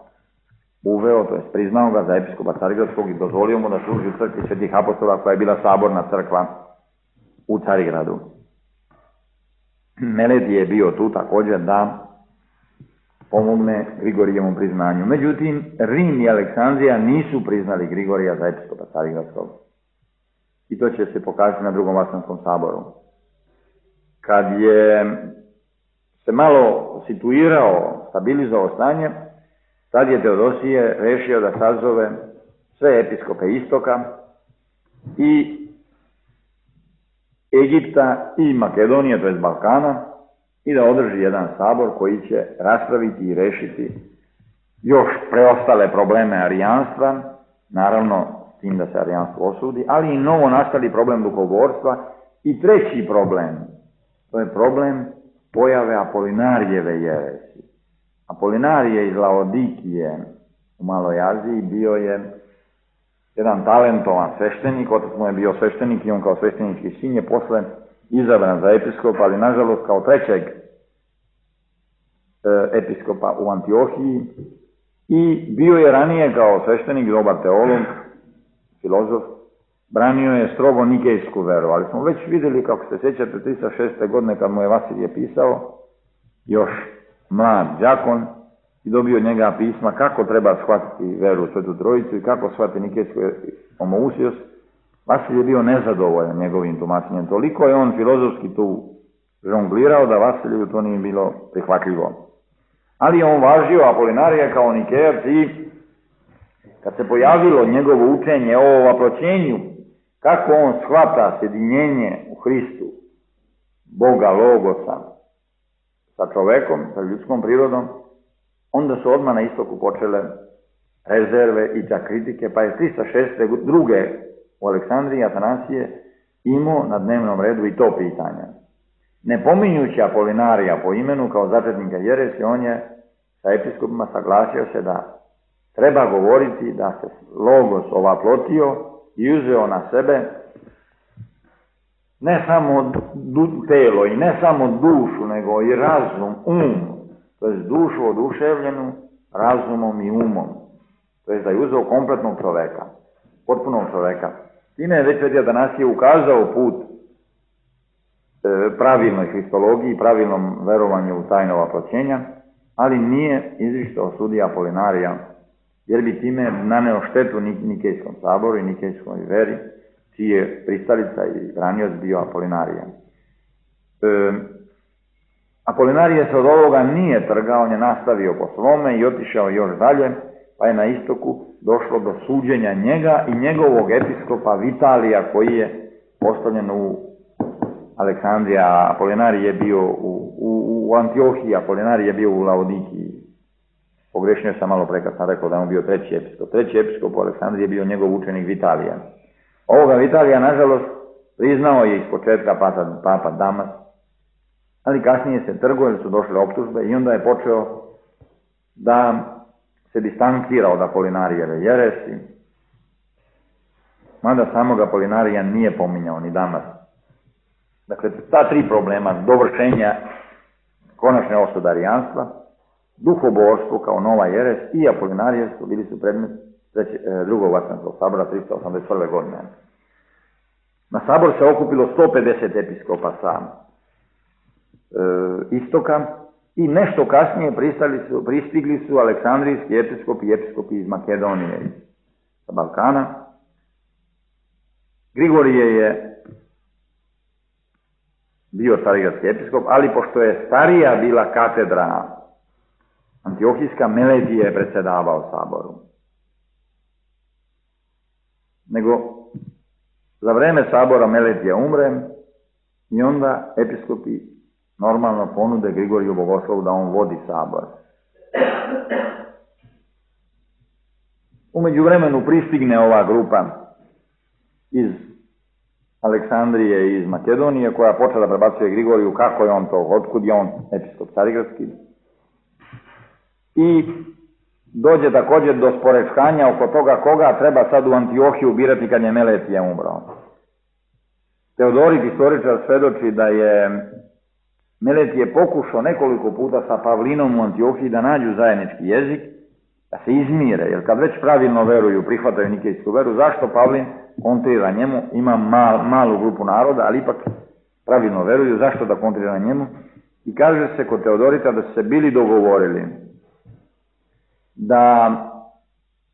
uveo, to je priznao ga za episkopa Carigradskog i dozvolio mu da služi u crkvi Svetih apostola, koja je bila saborna crkva u Carigradu. Meletije je bio tu također da pomogne Grigorijevom priznanju. Međutim, Rim i Aleksandrija nisu priznali Grigorija za episkopa Carigradskog. I to će se pokazati na Drugom Vaselenskom saboru. Kad je se malo situirao, stabilizovao stanje, tad je Teodosije rešio da sazove sve episkope istoka i Egipta i Makedonije, to je Balkana, i da održi jedan sabor koji će raspraviti i rešiti još preostale probleme arijanstva, naravno s tim da se arijanstvo osudi, ali i novo nastali problem duhoborstva i treći problem, to je problem pojave Apolinarijeve jeresi. Apolinarije iz Laodikije u Maloj Aziji bio je jedan talentovan sveštenik, otac mu je bio sveštenik i on kao sveštenički sin je posle izabran za episkopa, ali nažalost kao trećeg episkopa u Antiohiji i bio je ranije kao sveštenik, dobar teolog, filozof, branio je strogo nikejsku veru, ali smo već vidjeli, kako se sjećate, 306. godine kad mu je Vasilije pisao, još mlad đakon, i dobio od njega pisma kako treba shvatiti veru u Svetu Trojicu i kako shvatiti nikejsku homoousios. Vasilije je bio nezadovoljan njegovim tumačenjem. Toliko je on filozofski tu žonglirao da Vasiliju to nije bilo prihvatljivo. Ali je on važio Apolinarija kao Nikejac i kad se pojavilo njegovo učenje o ovaploćenju, kako on shvata sjedinjenje u Hristu, Boga, Logosa, sa čovekom, sa ljudskom prirodom, onda su odmah na istoku počele rezerve i čak kritike, pa je 306. druge u Aleksandriji Atanasije imao na dnevnom redu i to pitanje. Ne pominjući Apolinarija po imenu kao začetnika jeresi, on je sa episkopima saglasio se da treba govoriti da se Logos ovaplotio i uzeo na sebe ne samo telo i ne samo dušu, nego i razum, to je dušu oduševljenu razumom i umom. To je da je uzeo kompletnog čoveka, potpunog čoveka. Time je već Sveti Atanasije ukazao put pravilnoj hristologiji, pravilnom verovanju u tajno ovaploćenja, ali nije izričito osudio Apolinarija, jer bi time naneo štetu Nikejskom saboru i Nikejskoj veri, čiji je pristalica i branioc bio Apolinarija. Apolinarije se od ovoga nije trgao, on je nastavio po svome i otišao još dalje, pa je na istoku došlo do suđenja njega i njegovog episkopa Vitalija, koji je postavljen u Aleksandriji, a Apolinarij je bio u Antiohiji, Apolinarij je bio u Laodikiji. Pogrešnio sam malo pre kad sam rekao da on bio treći episkop. Treći episkop u Aleksandriji je bio njegov učenik Vitalija. Ovoga Vitalija, nažalost, priznao je iz početka papa Damas, ali kasnije se trgao jer su došle optužbe i onda je počeo da se distancira od Apolinarijeve jeresi, mada samog Apolinarija nije pominjao ni Damas. Dakle, ta tri problema, dovršenja konačne osude arijanstva, duhoborstvo kao nova jeres i Apolinarijevstvo bili su predmet drugog Vatikанskog sabora 381. godine. Na sabor se okupilo 150 episkopa sa istoka i nešto kasnije pristigli su aleksandrijski episkopi i episkopi iz Makedonije, sa Balkana. Grigorije je bio carigradski episkop, ali pošto je starija bila katedra Antiohijska, Meletije je predsjedavao saboru. Nego za vreme sabora Meletija umre i onda episkopi normalno ponude Grigoriju Bogoslovu da on vodi sabor. U međuvremenu pristigne ova grupa iz Aleksandrije i iz Makedonije, koja počela prebacuje Grigoriju kako je on to, otkud je on episkop carigradski. I dođe također do sporečkanja oko toga koga treba sad u Antiohiju birati kad je Meletije umro. Teodorit, istoričar, svedoči da je Meletije pokušao nekoliko puta sa Pavlinom u Antiohiji da nađu zajednički jezik, da se izmire, jer kad već pravilno veruju, prihvataju nikejsku veru, zašto Pavlin kontrira njemu, ima malu grupu naroda, ali ipak pravilno veruju, zašto da kontrira njemu? I kaže se kod Teodorita da su se bili dogovorili da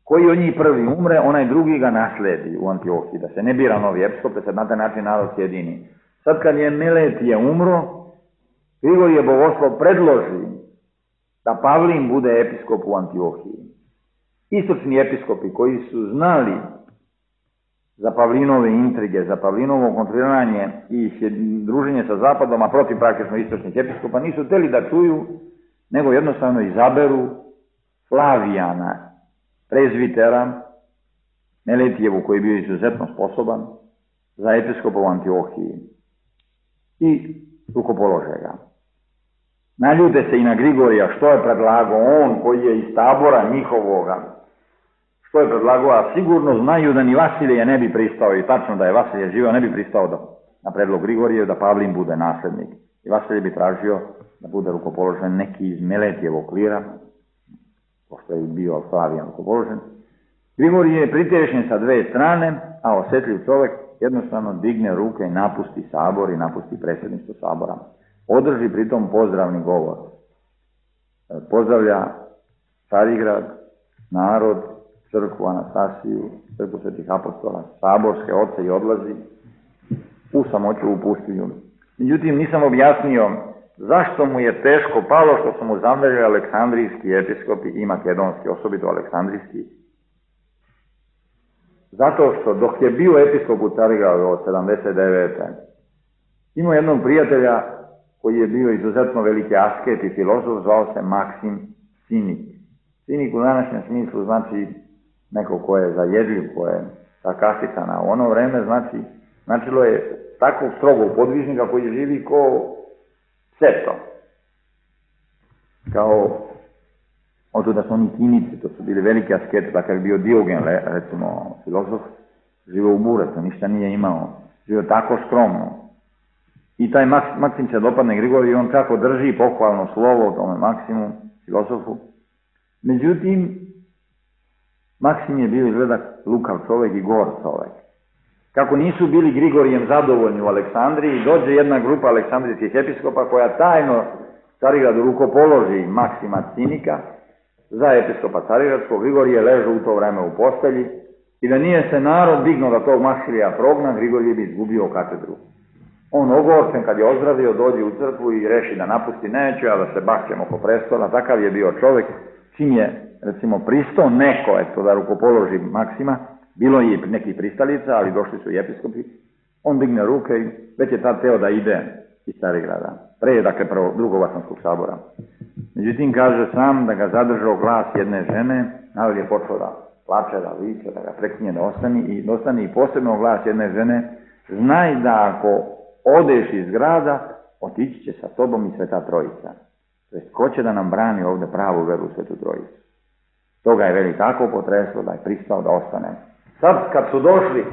koji od njih prvi umre, onaj drugi ga nasledi u Antiohiji, da se ne bira novi episkop, da se na taj način narod sjedini. Sad kad je Meletije umro, Grigorije Bogoslov predloži da Pavlin bude episkop u Antiohiji. Istočni episkopi koji su znali za Pavlinove intrige, za Pavlinovo kontriranje i druženje sa Zapadom, a protiv praktično istočnih episkopa, nisu htjeli da čuju, nego jednostavno izaberu Flavijana, prezvitera, Meletijevu koji je bio izuzetno sposoban, za episkopa u Antiohiji i rukopolože ga. Naljute se i na Grigorija što je predlagao on koji je iz tabora njihovoga. Što je predlagao, a sigurno znaju da ni Vasilije ne bi pristao, i tačno da je Vasilije živio, ne bi pristao na predlog Grigorije da Pavlin bude naslednik. I Vasilije bi tražio da bude rukopoložen neki iz Meletijevog klira, pošto je bio Flavijan rukopoložen. Grigorije je pritešen sa dve strane, a osjetljiv čovjek jednostavno digne ruke i napusti sabor i napusti predsjedništvo sabora. Održi pritom pozdravni govor. Pozdravlja Carigrad, narod, crkvu Anastasiju, crkvu svetih apostola, saborske oce i odlazi u samoću u pustinju. Međutim, nisam objasnio zašto mu je teško palo što su mu zamjerili aleksandrijski episkopi i makedonski, osobito aleksandrijski. Zato što dok je bio episkop u Carigradu od 79. imao jednog prijatelja koji je bio izuzetno veliki asket i filozof, zvao se Maksim Cinik. Cinik u današnjem smislu znači neko ko je zajedljiv, ko je sarkastičan, a u ono vreme značilo je takvog strogog podvižnika koji živi ko seto. Kao oto da su oni Cinici, to su bili veliki asketi, takav je bio Diogen, recimo filozof, živio u buretu, ništa nije imao, živio tako skromno. I taj Maksim se dopadne Grigoriju i on čak održi pohvalno slovo o tome Maksimu, filozofu. Međutim, Maksim je bio izgleda lukav čovjek i gor čovjek. Kako nisu bili Grigorijem zadovoljni u Aleksandriji, dođe jedna grupa aleksandrijskih episkopa koja tajno Carigradu rukopoloži Maksima Cinika za episkopa Carigradskog. Grigorije ležu u to vreme u postelji i da nije se narod dignuo da tog Maksilija progna, Grigorije bi izgubio katedru. On ogorčen kad je ozdravio dođe u crkvu i reši da napusti neće, a da se bakćemo oko prestola. Takav je bio čovjek, čim je recimo pristao neko da rukopoloži Maksima, bilo je nekih pristalica, ali došli su i episkopi, on digne ruke i već je tad teo da ide iz Carigrada, pre dakle drugog Vasanskog sabora. Međutim, kaže sam da ga zadržao glas jedne žene, ali je počeo da plače, da viče, da ga preklinje da ostane i posebno glas jedne žene, znaj da ako odeš iz grada, otići će sa tobom i Sveta Trojica. To jest, ko će da nam brani ovdje pravu veru u Svetu Trojicu? Toga je veli tako potreslo da je pristao da ostane. Sad kad su došli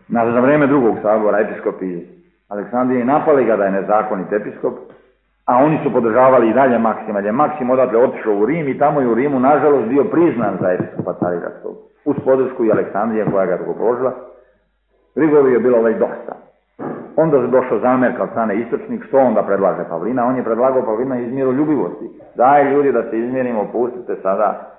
za vreme drugog sabora episkopi iz Aleksandrije, napali ga da je nezakonit episkop, a oni su podržavali i dalje Maksima, jer je Maksim odatle otišao u Rim i tamo je u Rimu nažalost bio priznan za episkopa Carigradskog, uz podršku i Aleksandrije koja ga rukopoložila. Grigoriju je bilo već dosta. Onda je došao zamjerka od strane istočnih, što onda predlaže Pavlina? On je predlagao Pavlina iz miroljubivosti. Daj ljudi da se izmjerimo, pustite sada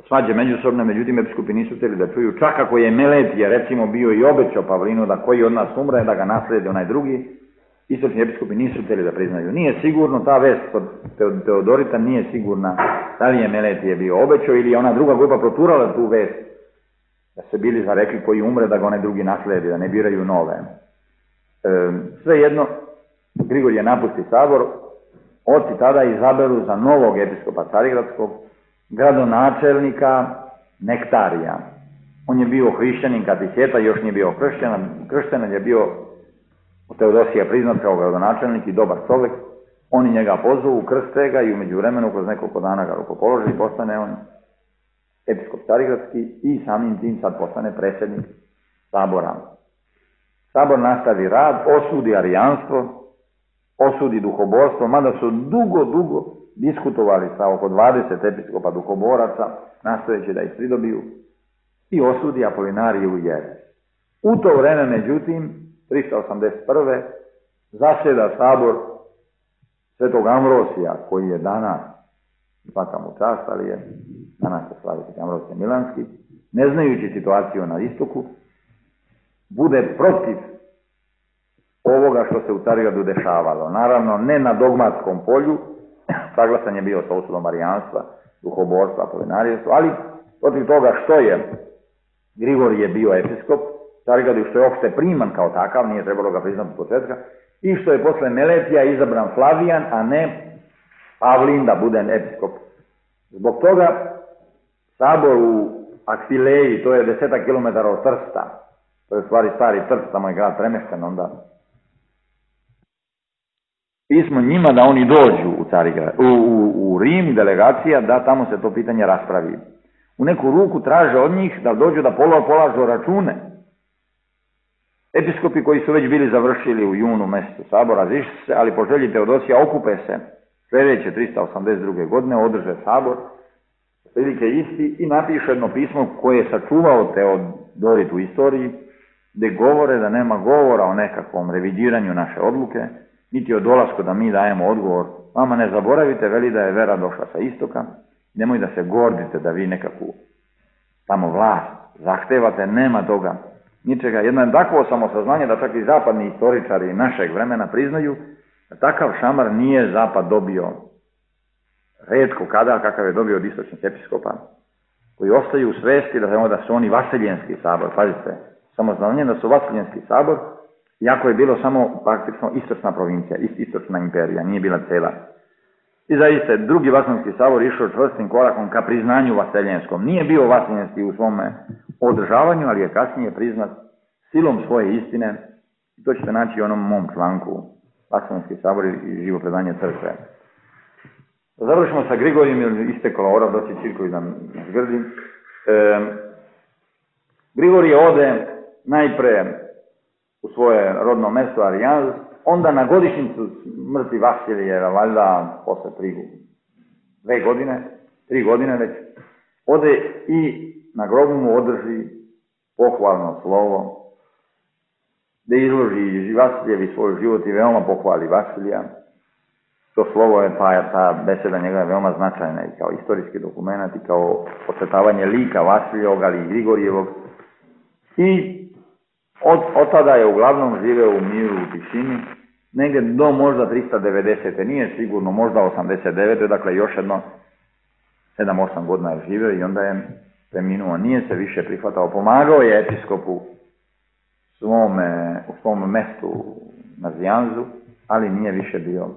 svađe međusobne, međutim episkopi nisu htjeli da čuju. Čak ako je Meletije recimo bio i obećao Pavlinu da koji od nas umre, da ga nasledi onaj drugi, istočni episkopi nisu htjeli da priznaju. Nije sigurno, ta vest od Teodorita nije sigurna da li je Meletije bio obećao ili je ona druga grupa proturala tu vest, da se bili zarekli koji umre da ga onaj drugi nasledi, da ne biraju nove. Svejedno, Grigorije napusti sabor, oci tada izaberu za novog episkopa Carigradskog gradonačelnika Nektarija. On je bio hrišćanin katiheta, još nije bio kršten, je bio u Teodosija priznat kao gradonačelnik i dobar čovjek. Oni njega pozovu, krste ga i u međuvremenu kroz nekoliko dana ga rukopoloži i postane on episkop Carigradski i samim tim sad postane predsjednik sabora. Sabor nastavi rad, osudi arijanstvo, osudi duhoborstvo, mada su dugo diskutovali sa oko 20 episkopa duhoboraca, nastojeći da ih pridobiju, i osudi Apolinariju i jeres. U to vreme, međutim, 381. zasjeda sabor Svetog Ambrosija, koji je danas, svaka mu čast, ali je danas se slavi Sveti Ambrosije Milanski, ne znajući situaciju na istoku, bude protiv ovoga što se u Carigradu dešavalo. Naravno, ne na dogmatskom polju, saglasan je bio sa osudom arijanstva, duhoborstva, apolinarijanstva, ali protiv toga što je Grigorije bio episkop Carigradu, što je opšte priman kao takav, nije trebalo ga priznati od početka, i što je posle Meletija izabran Flavijan, a ne Pavlin da bude episkop. Zbog toga sabor u Akvileji, to je 10 km od Trsta, to je u stvari stari Trst, tamo je grad premešten onda. Pismo njima da oni dođu u Rim, delegacija, da tamo se to pitanje raspravi. U neku ruku traže od njih da dođu da polažu račune. Episkopi koji su već bili završili u junu mjesecu sabora, razišli se, ali po želji Teodosija okupe se sljedeće 382. godine, održe sabor, prilike isti, i napiše jedno pismo koje je sačuvao Teodorit u istoriji, gdje govore da nema govora o nekakvom revidiranju naše odluke, niti o dolasku da mi dajemo odgovor. Vama ne zaboravite, veli da je vera došla sa istoka, nemoj da se gordite da vi nekakvu tamo vlast zahtevate, nema toga, ničega. Jedno je takvo samosaznanje da čak i zapadni istoričari našeg vremena priznaju da takav šamar nije zapad dobio retko kada kakav je dobio od istočnih episkopa, koji ostaju u svesti da su oni vaseljenski sabor. Pazite, samosaznanje da su vaseljenski sabor, iako je bilo samo praktično istočna provincija, istočna imperija, nije bila cela. I zaista, drugi vaseljenski sabor išao čvrstim korakom ka priznanju vaseljenskom. Nije bio vaseljenski u svome održavanju, ali je kasnije priznat silom svoje istine. I to ćete naći u onom mom članku Vaseljenski sabor i živo predanje crkve. Završimo sa Grigorijem, jer istekla ora, doći Čirković da nas grdi. Grigorije ode najpre u svoje rodno mesto Arijanz, onda na godišnjicu smrti Vasilijeva, valjda posle 3 godine već, ode i na grobu mu održi pohvalno slovo, da izloži Vasiljevi svoj život i veoma pohvali Vasilija. To slovo je, ta beseda njega je veoma značajna i kao istorijski dokument i kao podcrtavanje lika Vasiljevog, ali i Grigorijevog. I od tada je uglavnom živeo u miru, u tišini, negdje do možda 390. Nije sigurno, možda 89. Dakle, još jedno 7-8 godina je živeo i onda je preminuo. Nije se više prihvatao. Pomagao je episkopu u svom mestu na Zijanzu, ali nije više bio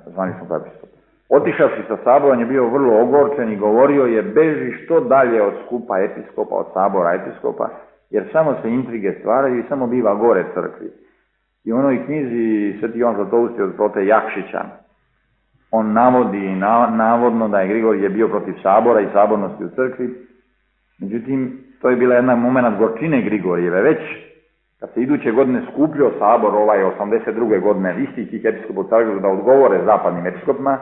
zvaničnog episkopa. Otišavši sa sabora, on je bio vrlo ogorčen i govorio je: beži što dalje od skupa episkopa, od sabora episkopa, jer samo se intrige stvaraju i samo biva gore crkvi. I u onoj knjizi Sveti Jovan Zlatousti od prote Jakšića, on navodi navodno da je Grigorije bio protiv sabora i sabornosti u crkvi. Međutim, to je bila jedna moment gorčine Grigorijeve. Već kad se iduće godine skupljio sabor, 82. godine, isti tih episkopa u Carigradu da odgovore zapadnim episkopima,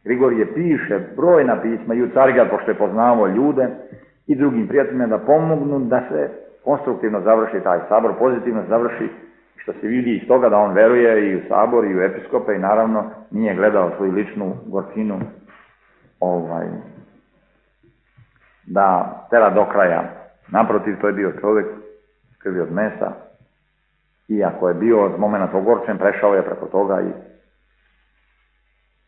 Grigorije piše brojna pisma i u Carigrad, pošto je poznavao ljude i drugim prijateljima, da pomognu da se konstruktivno završi taj sabor, pozitivno završi, što se vidi iz toga da on veruje i u sabor i u episkope i naravno nije gledao svoju ličnu gorčinu da tera do kraja. Naprotiv, to je bio čovjek krvi od mesa, iako je bio od momenta ogorčen, prešao je preko toga.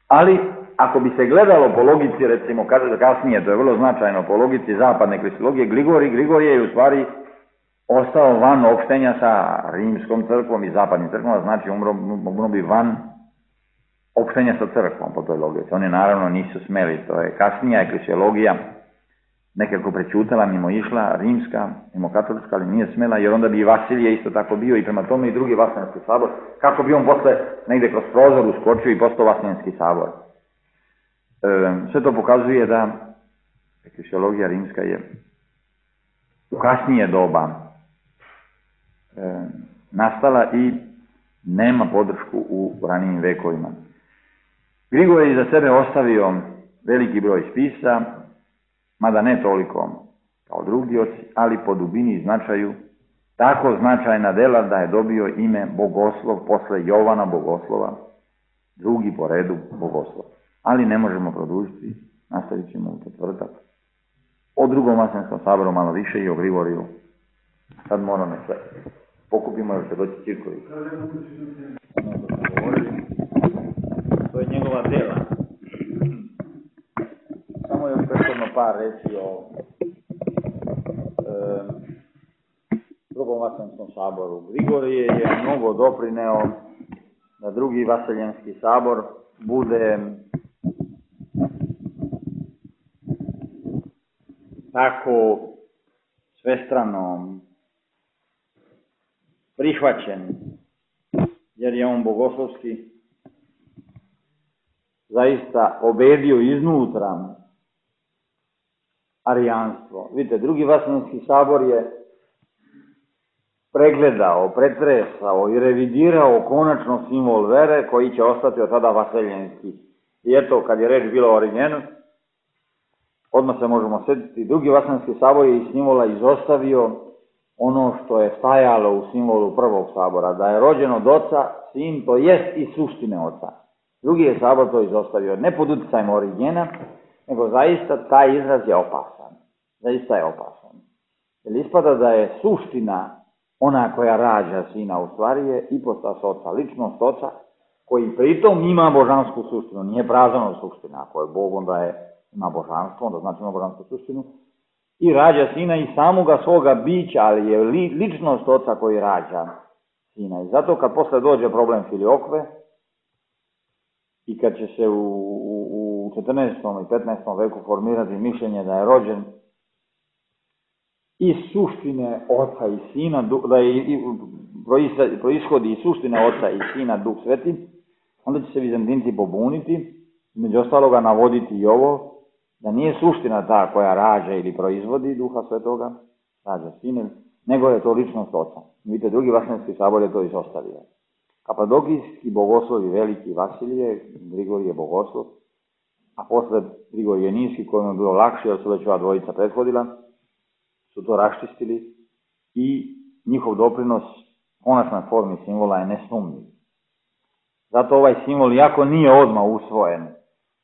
Ali, ako bi se gledalo po logici, recimo, kasnije, to je vrlo značajno, po logici zapadne kristologije, Grigorije je u stvari ostao van opštenja sa rimskom crkvom i zapadnim crkvom, znači umro bi van opštenja sa crkvom po toj logici. Oni naravno nisu smeli, to je kasnija ekleziologija nekako prećutala, mimo išla, rimska, mimo katolička, ali nije smela, jer onda bi i Vasilije isto tako bio i prema tome i drugi Vaseljenski sabor, kako bi on posle negde kroz prozor uskočio i postao Vaseljenski sabor. Sve to pokazuje da ekleziologija rimska je u kasnije doba nastala i nema podršku u ranijim vekovima. Grigorije je za sebe ostavio veliki broj spisa, mada ne toliko kao drugi oci, ali po dubini i značaju tako značajna dela da je dobio ime Bogoslov posle Jovana Bogoslova, drugi po redu Bogoslov. Ali ne možemo produžiti, nastavit ćemo u četvrtak. O drugom Vaseljenskom saboru malo više i o Grigoriju. Sad moramo sve pokupimo jer će doći Čirković. To je njegova dela. Samo još prethodno par reći o Drugom Vaseljenskom saboru. Grigorije je mnogo doprineo da Drugi Vaseljenski sabor bude tako svestrano prihvaćen, jer je on bogoslovski zaista obedio iznutra arijanstvo. Vidite, Drugi Vaseljenski sabor je pregledao, pretresao i revidirao konačno simbol vere koji će ostati od tada vaseljenski. I eto, kad je reč bila o Origenu, odmah se možemo sjetiti, Drugi Vaseljenski sabor je iz simbola izostavio ono što je stajalo u simbolu prvog sabora, da je rođen od oca, sin, to jest i suštine oca. Drugi je sabor to izostavio, ne pod utjecajem Origena, nego zaista taj izraz je opasan. Zaista je opasan. Jer ispada da je suština ona koja rađa sina, u stvari je ipostas oca, ličnost oca, koji pritom ima božansku suštinu, nije prazna suština. Ako je Bog, onda ima božanstvo, onda znači ima božansku suštinu. I rađa sina i samoga svoga bića, ali je ličnost oca koji rađa sina. I zato kad posle dođe problem filiokve, i kad će se u 14. i 15. veku formirati mišljenje da je rođen iz suštine oca i sina, da je proishodi iz suštine oca i sina Duh Sveti, onda će se Vizantinci pobuniti, među ostaloga navoditi i ovo, da nije suština ta koja rađa ili proizvodi Duha Svetoga, rađa sin, nego je to ličnost oca. Vidite, Drugi Vaseljenski sabor je to izostavio. Kapadokijski bogoslovi veliki Vasilije, Grigorije bogoslov, a posle Grigorije Niski, kojim je bilo lakše, jer su već ova dvojica prethodila, su to raščistili i njihov doprinos konačnoj formi simbola je nesumnjiv. Zato ovaj simbol, iako nije odmah usvojen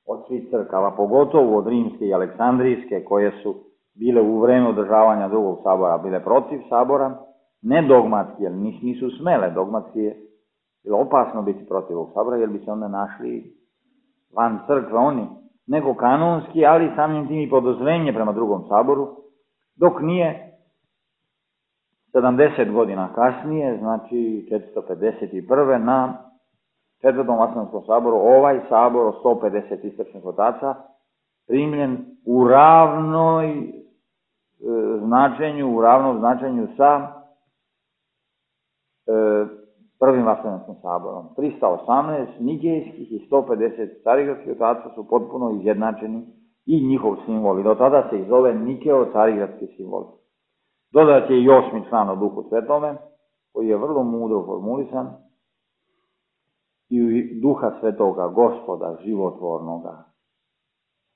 od svih crkava, pogotovo od rimske i aleksandrijske, koje su bile u vreme održavanja drugog sabora, bile protiv sabora, ne dogmatski, jer nisu smele, dogmatski je bilo opasno biti protiv ovog sabora, jer bi se onda našli van crkve oni, nego kanonski, ali samim tim i podozrenje prema drugom saboru, dok nije 70 godina kasnije, znači 451. na Četvrtom Vaseljenskom saboru, ovaj sabor od 150 istočnih otaca primljen u ravnom značenju sa Prvim Vaseljenskim saborom. 318 nigejskih i 150 carigradskih otaca su potpuno izjednačeni i njihov simbol. I do tada se ih zove Nikeo-carigradski simbol. Dodat je i 8. član o Duhu Svetome, koji je vrlo mudro formulisan, i Duha Svetoga, Gospoda, životvornoga.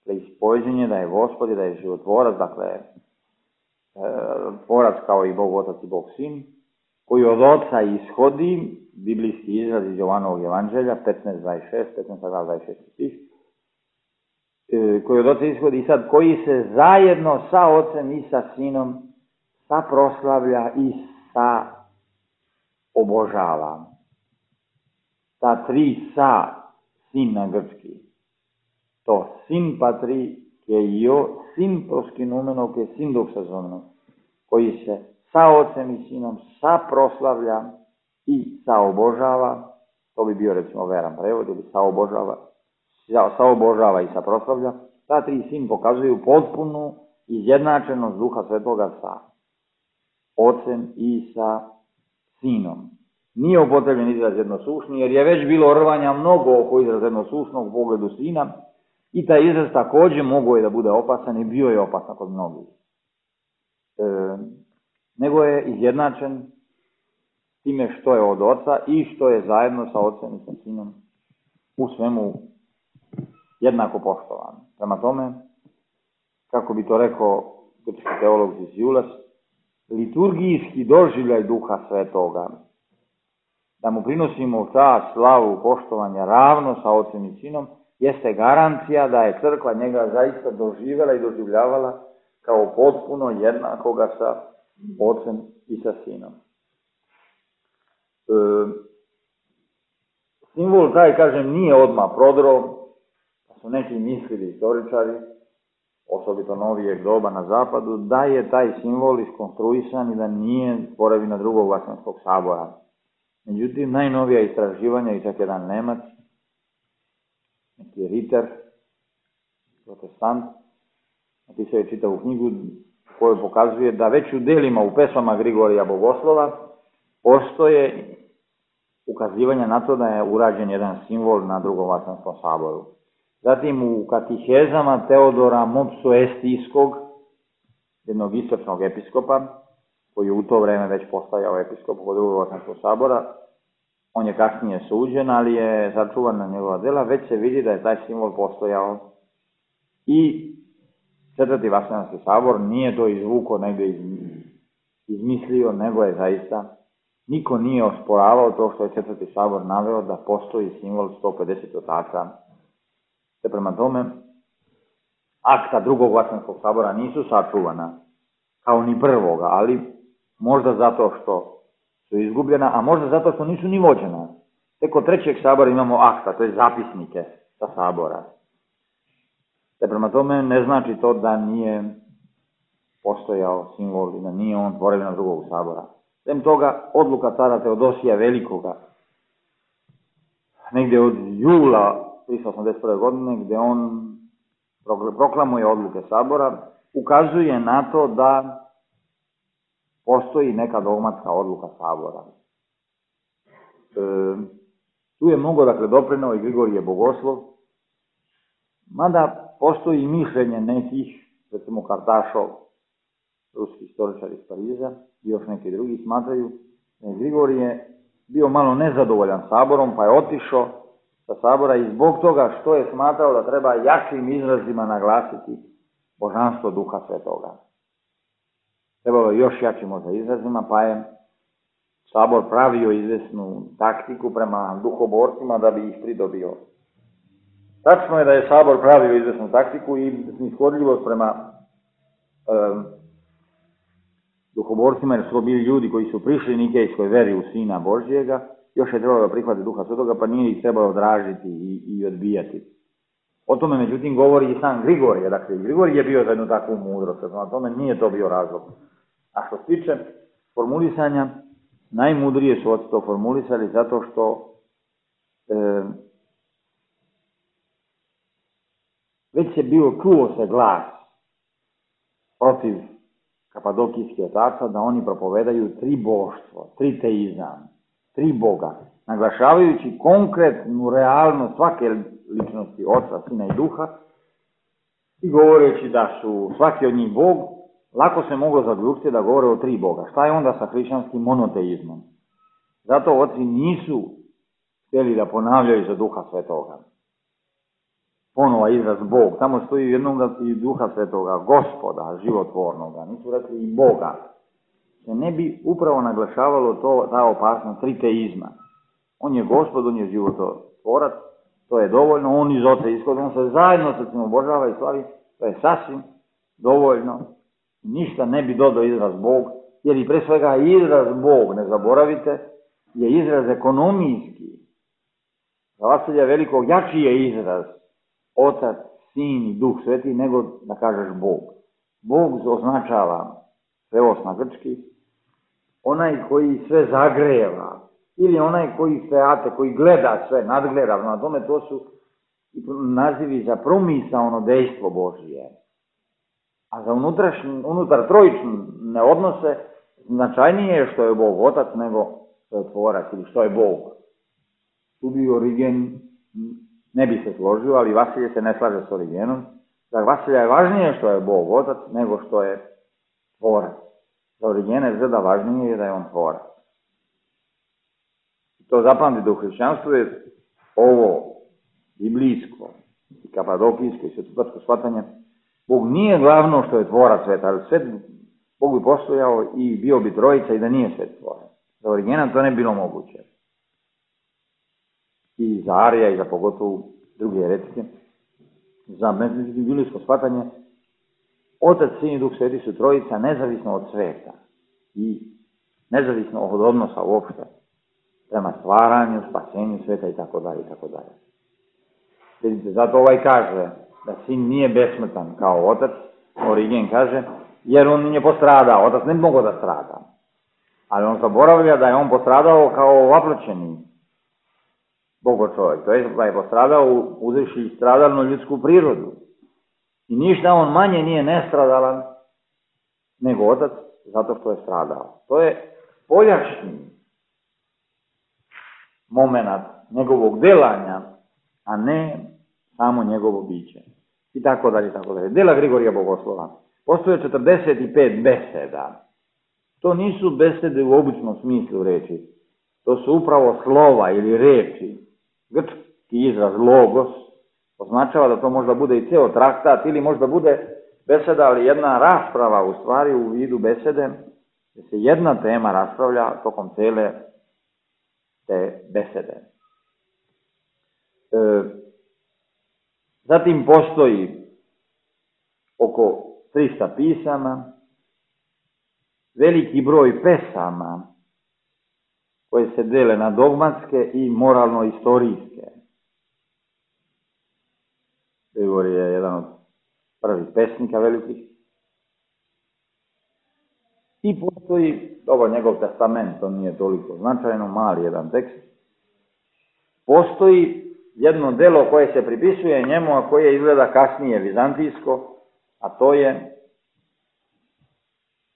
Ispoveđenje da je Gospod i da je životvorac, dakle, tvorac kao i Bog Otac i Bog Sin, koji od Oca ishodi, biblijski izraz iz Jovanovog evanđelja, 15.26, 15.26 stih, koji od Oca ishodi i sad koji se zajedno sa Ocem i sa Sinom saproslavlja i sa obožava. Ta tri sa, sin na grčki, to sin patri ke io, sin proskinumeno ke sin doksazomeno, koji se sa Ocem i Sinom saproslavlja i saobožava, to bi bio recimo veran prevod, ili saobožava i saproslavlja, ta tri sin pokazuju potpunu izjednačenost Duha Svetoga sa Ocem i sa Sinom. Nije upotrebljen izraz jednosušni, jer je već bilo rvanja mnogo oko izraz jednosušnog u pogledu Sina i taj izraz također mogao je da bude opasan i bio je opasan kod mnogih. Nego je izjednačen time što je od Oca i što je zajedno sa Ocem i sa Sinom u svemu jednako poštovan. Prema tome, kako bi to rekao grčki teolog Ziziulas, liturgijski doživljaj Duha Svetoga, da mu prinosimo čast, slavu, poštovanje ravno sa Ocem i Sinom, jeste garancija da je crkva njega zaista doživjela i doživljavala kao potpuno jednakoga sa Ocem i sa Sinom. Simbol taj, kažem, nije odmah prodro, pa su neki mislili istoričari, osobito novijeg doba na zapadu, da je taj simbol iskonstruisan i da nije tvorevina Drugog Vaseljenskog sabora. Međutim, najnovija istraživanja i čak jedan Nemac, neki Ritter, protestant, napisao je čitavu knjigu koju pokazuje da već u delima, u pesmama Grigorija Bogoslova, postoje ukazivanja na to da je urađen jedan simbol na Drugom Vaseljenskom saboru. Zatim u katihezama Teodora Mopsuestijskog, jednog istočnog episkopa, koji je u to vreme već postajao episkop od Drugog Vaseljenskog sabora, on je kasnije suđen, ali je sačuvan na njegova dela, već se vidi da je taj simbol postojao. I Četvrti Vaseljenski sabor nije to izvuko, negdje izmislio, nego je zaista, niko nije osporavao to što je Četvrti sabor naveo da postoji simbol 150 otaca. Te prema tome, akta Drugog Vaseljenskog sabora nisu sačuvana, kao ni prvoga, ali možda zato što su izgubljena, a možda zato što nisu ni vođena. Tek od Trećeg sabora imamo akta, to je zapisnike sa sabora. Te prema tome ne znači to da nije postojao simbol i da nije on tvorevina Drugog sabora. Sem toga, odluka cara Teodosija Velikoga, negdje od jula 381. godine, gdje on proklamuje odluke sabora, ukazuje na to da postoji neka dogmatska odluka sabora. Tu je mnogo, dakle, doprineo i Grigorije Bogoslov, mada postoji mišljenje nekih, recimo Kartašov, ruski istoričar iz Pariza, i još neki drugi smatraju da je Grigorije bio malo nezadovoljan saborom, pa je otišao sa sabora i zbog toga što je smatrao da treba jačim izrazima naglasiti božanstvo Duha Svetoga. Trebalo je još jačim možda izrazima, pa je sabor pravio izvesnu taktiku prema duhoborcima da bi ih pridobio. Tačno je da je sabor pravio izvesnu taktiku i snishodljivost prema duhoborcima, jer su bili ljudi koji su prišli nikejskoj veri u Sina Božjega, još je trebalo da prihvati Duha Svetoga, pa nije ih trebalo dražiti i odbijati. O tome, međutim, govori i sam Grigorije. Dakle, Grigorije je bio za jednu takvu mudrost, na tome nije to bio razlog. A što se tiče formulisanja, najmudrije su to formulisali zato što već je bio, čuo se glas protiv kapadokijskih otaca da oni propovedaju tri boštvo, tri teizam, tri Boga, naglašavajući konkretnu realnost svake ličnosti Oca, Sina i Duha i govoreći da su svaki od njih Bog, lako se moglo zaključiti da govore o tri Boga. Šta je onda sa hrišćanskim monoteizmom? Zato oci nisu htjeli da ponavljaju za Duha Svetoga. Ponova izraz Bog, tamo stoji jednog i Duha Svetoga, Gospoda, životvornoga, nisu rekli i Boga. Se ne bi upravo naglašavalo ta opasnost triteizma. On je Gospod, on je životvorac, to je dovoljno, on iz Oca ishod, on se zajedno sa tim obožava i slavi, to je sasvim dovoljno. Ništa ne bi dodao izraz Bog, jer i pre svega izraz Bog, ne zaboravite, je izraz ekonomijski. Za Vasilija Velikog jači je izraz Otac, Sin i Duh Sveti nego da kažeš Bog. Bog označava sveos na grčki, onaj koji sve zagreva, ili onaj koji feate, koji gleda sve, nadgleda, na tome to su nazivi za promisaono dejstvo Božije. A za unutar trojične odnose značajnije je što je Bog Otac nego što je Tvorac ili što je Bog. Tu bi Origen ne bi se složio, ali Vasilije se ne slaže s Origenom. Za Vasilija je važnije što je Bog Otac nego što je Tvorac. Za Origena je zada važnije je da je on Tvorac. To zapamtite u hrišćanstvu je ovo biblijsko i kapadokijsko i svetotarsko shvatanje. Bog nije glavno što je Tvorac sveta, ali svet Bog bi postojao i bio bi trojica i da nije svet Tvorac. Za Origena to ne bilo moguće. I za Arija i za pogotovo druge heretike. Za biblijsko shvatanje Otac, Sin i Duh Sveti su trojica nezavisno od sveta i nezavisno od odnosa uopšte prema stvaranju, spasenju sveta i tako dalje i tako dalje. Vidite, zato ovaj kaže da sin nije besmrtan kao otac, Origen kaže, jer on nije postradao, otac ne bi mogao da strada. Ali on zaboravlja da je on postradao kao vaproćeni Bogo čovjek, to je da je postradao uzevši stradalnu ljudsku prirodu. I ništa on manje nije nestradalan nego otac zato što je stradao. To je spoljašnji moment njegovog delanja, a ne samo njegovo biće. I tako dalje, i tako dalje. Dela Grigorija Bogoslova. Postoje 45 beseda. To nisu besede u običnom smislu reči. To su upravo slova ili reči. Grčki izraz logos označava da to možda bude i ceo traktat ili možda bude beseda, ali jedna rasprava u stvari u vidu besede, gdje se jedna tema raspravlja tokom cele te besede. Zatim postoji oko 300 pisama, veliki broj pesama koje se dele na dogmatske i moralno-istorijske. Grigorije je jedan od prvih pesnika velikih. I postoji, ovo njegov testament, to nije toliko značajno, mali jedan tekst. Postoji jedno delo koje se pripisuje njemu, a koje izgleda kasnije vizantijsko, a to je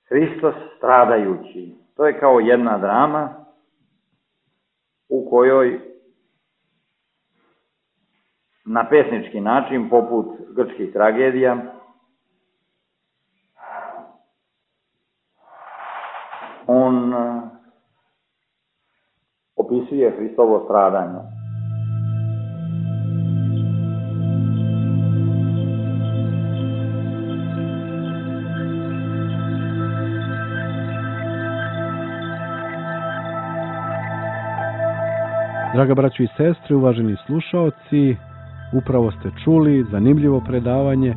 Hristos stradajući. To je kao jedna drama u kojoj na pesnički način, poput grčkih tragedija, on opisuje Hristovo stradanje. Draga braćo i sestre, uvaženi slušaoci, upravo ste čuli zanimljivo predavanje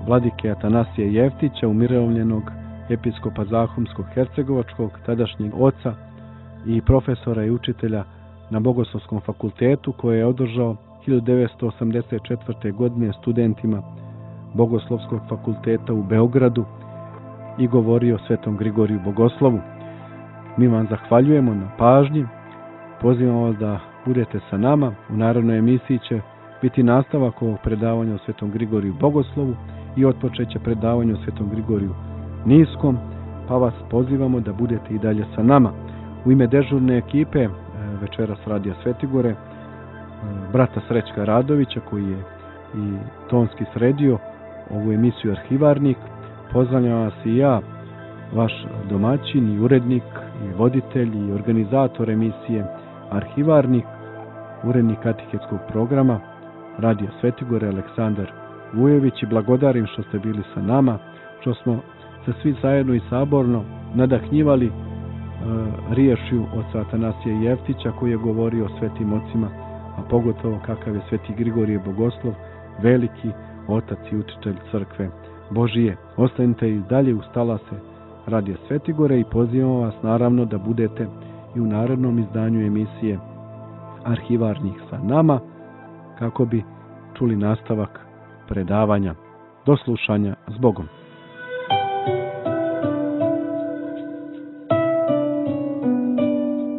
vladike Atanasija Jeftića, umirovljenog episkopa Zahumsko-hercegovačkog, tadašnjeg oca i profesora i učitelja na Bogoslovskom fakultetu, koje je održao 1984. godine studentima Bogoslovskog fakulteta u Beogradu i govorio o Svetom Grigoriju Bogoslovu. Mi vam zahvaljujemo na pažnji. Pozivamo vas da budete sa nama. U narednoj emisiji će biti nastavak ovog predavanja o Svetom Grigoriju Bogoslovu i otpočeće predavanje o Svetom Grigoriju Niskom, pa vas pozivamo da budete i dalje sa nama. U ime dežurne ekipe večeras Radija Svetigore, brata Srećka Radovića, koji je i tonski sredio ovu emisiju Arhivarnik, pozdravljam vas i ja, vaš domaćin i urednik i voditelj i organizator emisije Arhivarnik, urednik katehetskog programa Radija Svetigore Aleksandar Vujević, i blagodarim što ste bili sa nama, što smo se svi zajedno i saborno nadahnjivali riječju oca Atanasija Jeftića, koji je govorio o svetim ocima, a pogotovo kakav je Sveti Grigorije Bogoslov, veliki otac i učitelj crkve Božije. Ostanite i dalje uz talase Radija Svetigore i pozivamo vas naravno da budete i u narednom izdanju emisije Arhivarnih sa nama, kako bi čuli nastavak predavanja. Do slušanja, s Bogom.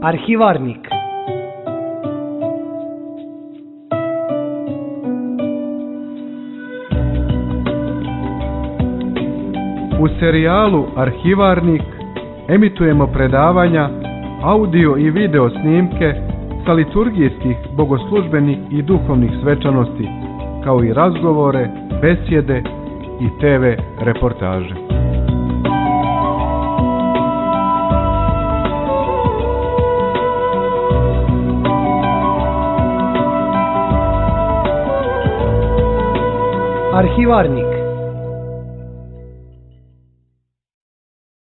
Arhivarnik. U serijalu Arhivarnik emitujemo predavanja, audio i video snimke sa liturgijskih, bogoslužbenih i duhovnih svečanosti, kao i razgovore, besjede i TV reportaže. Arhivarnik.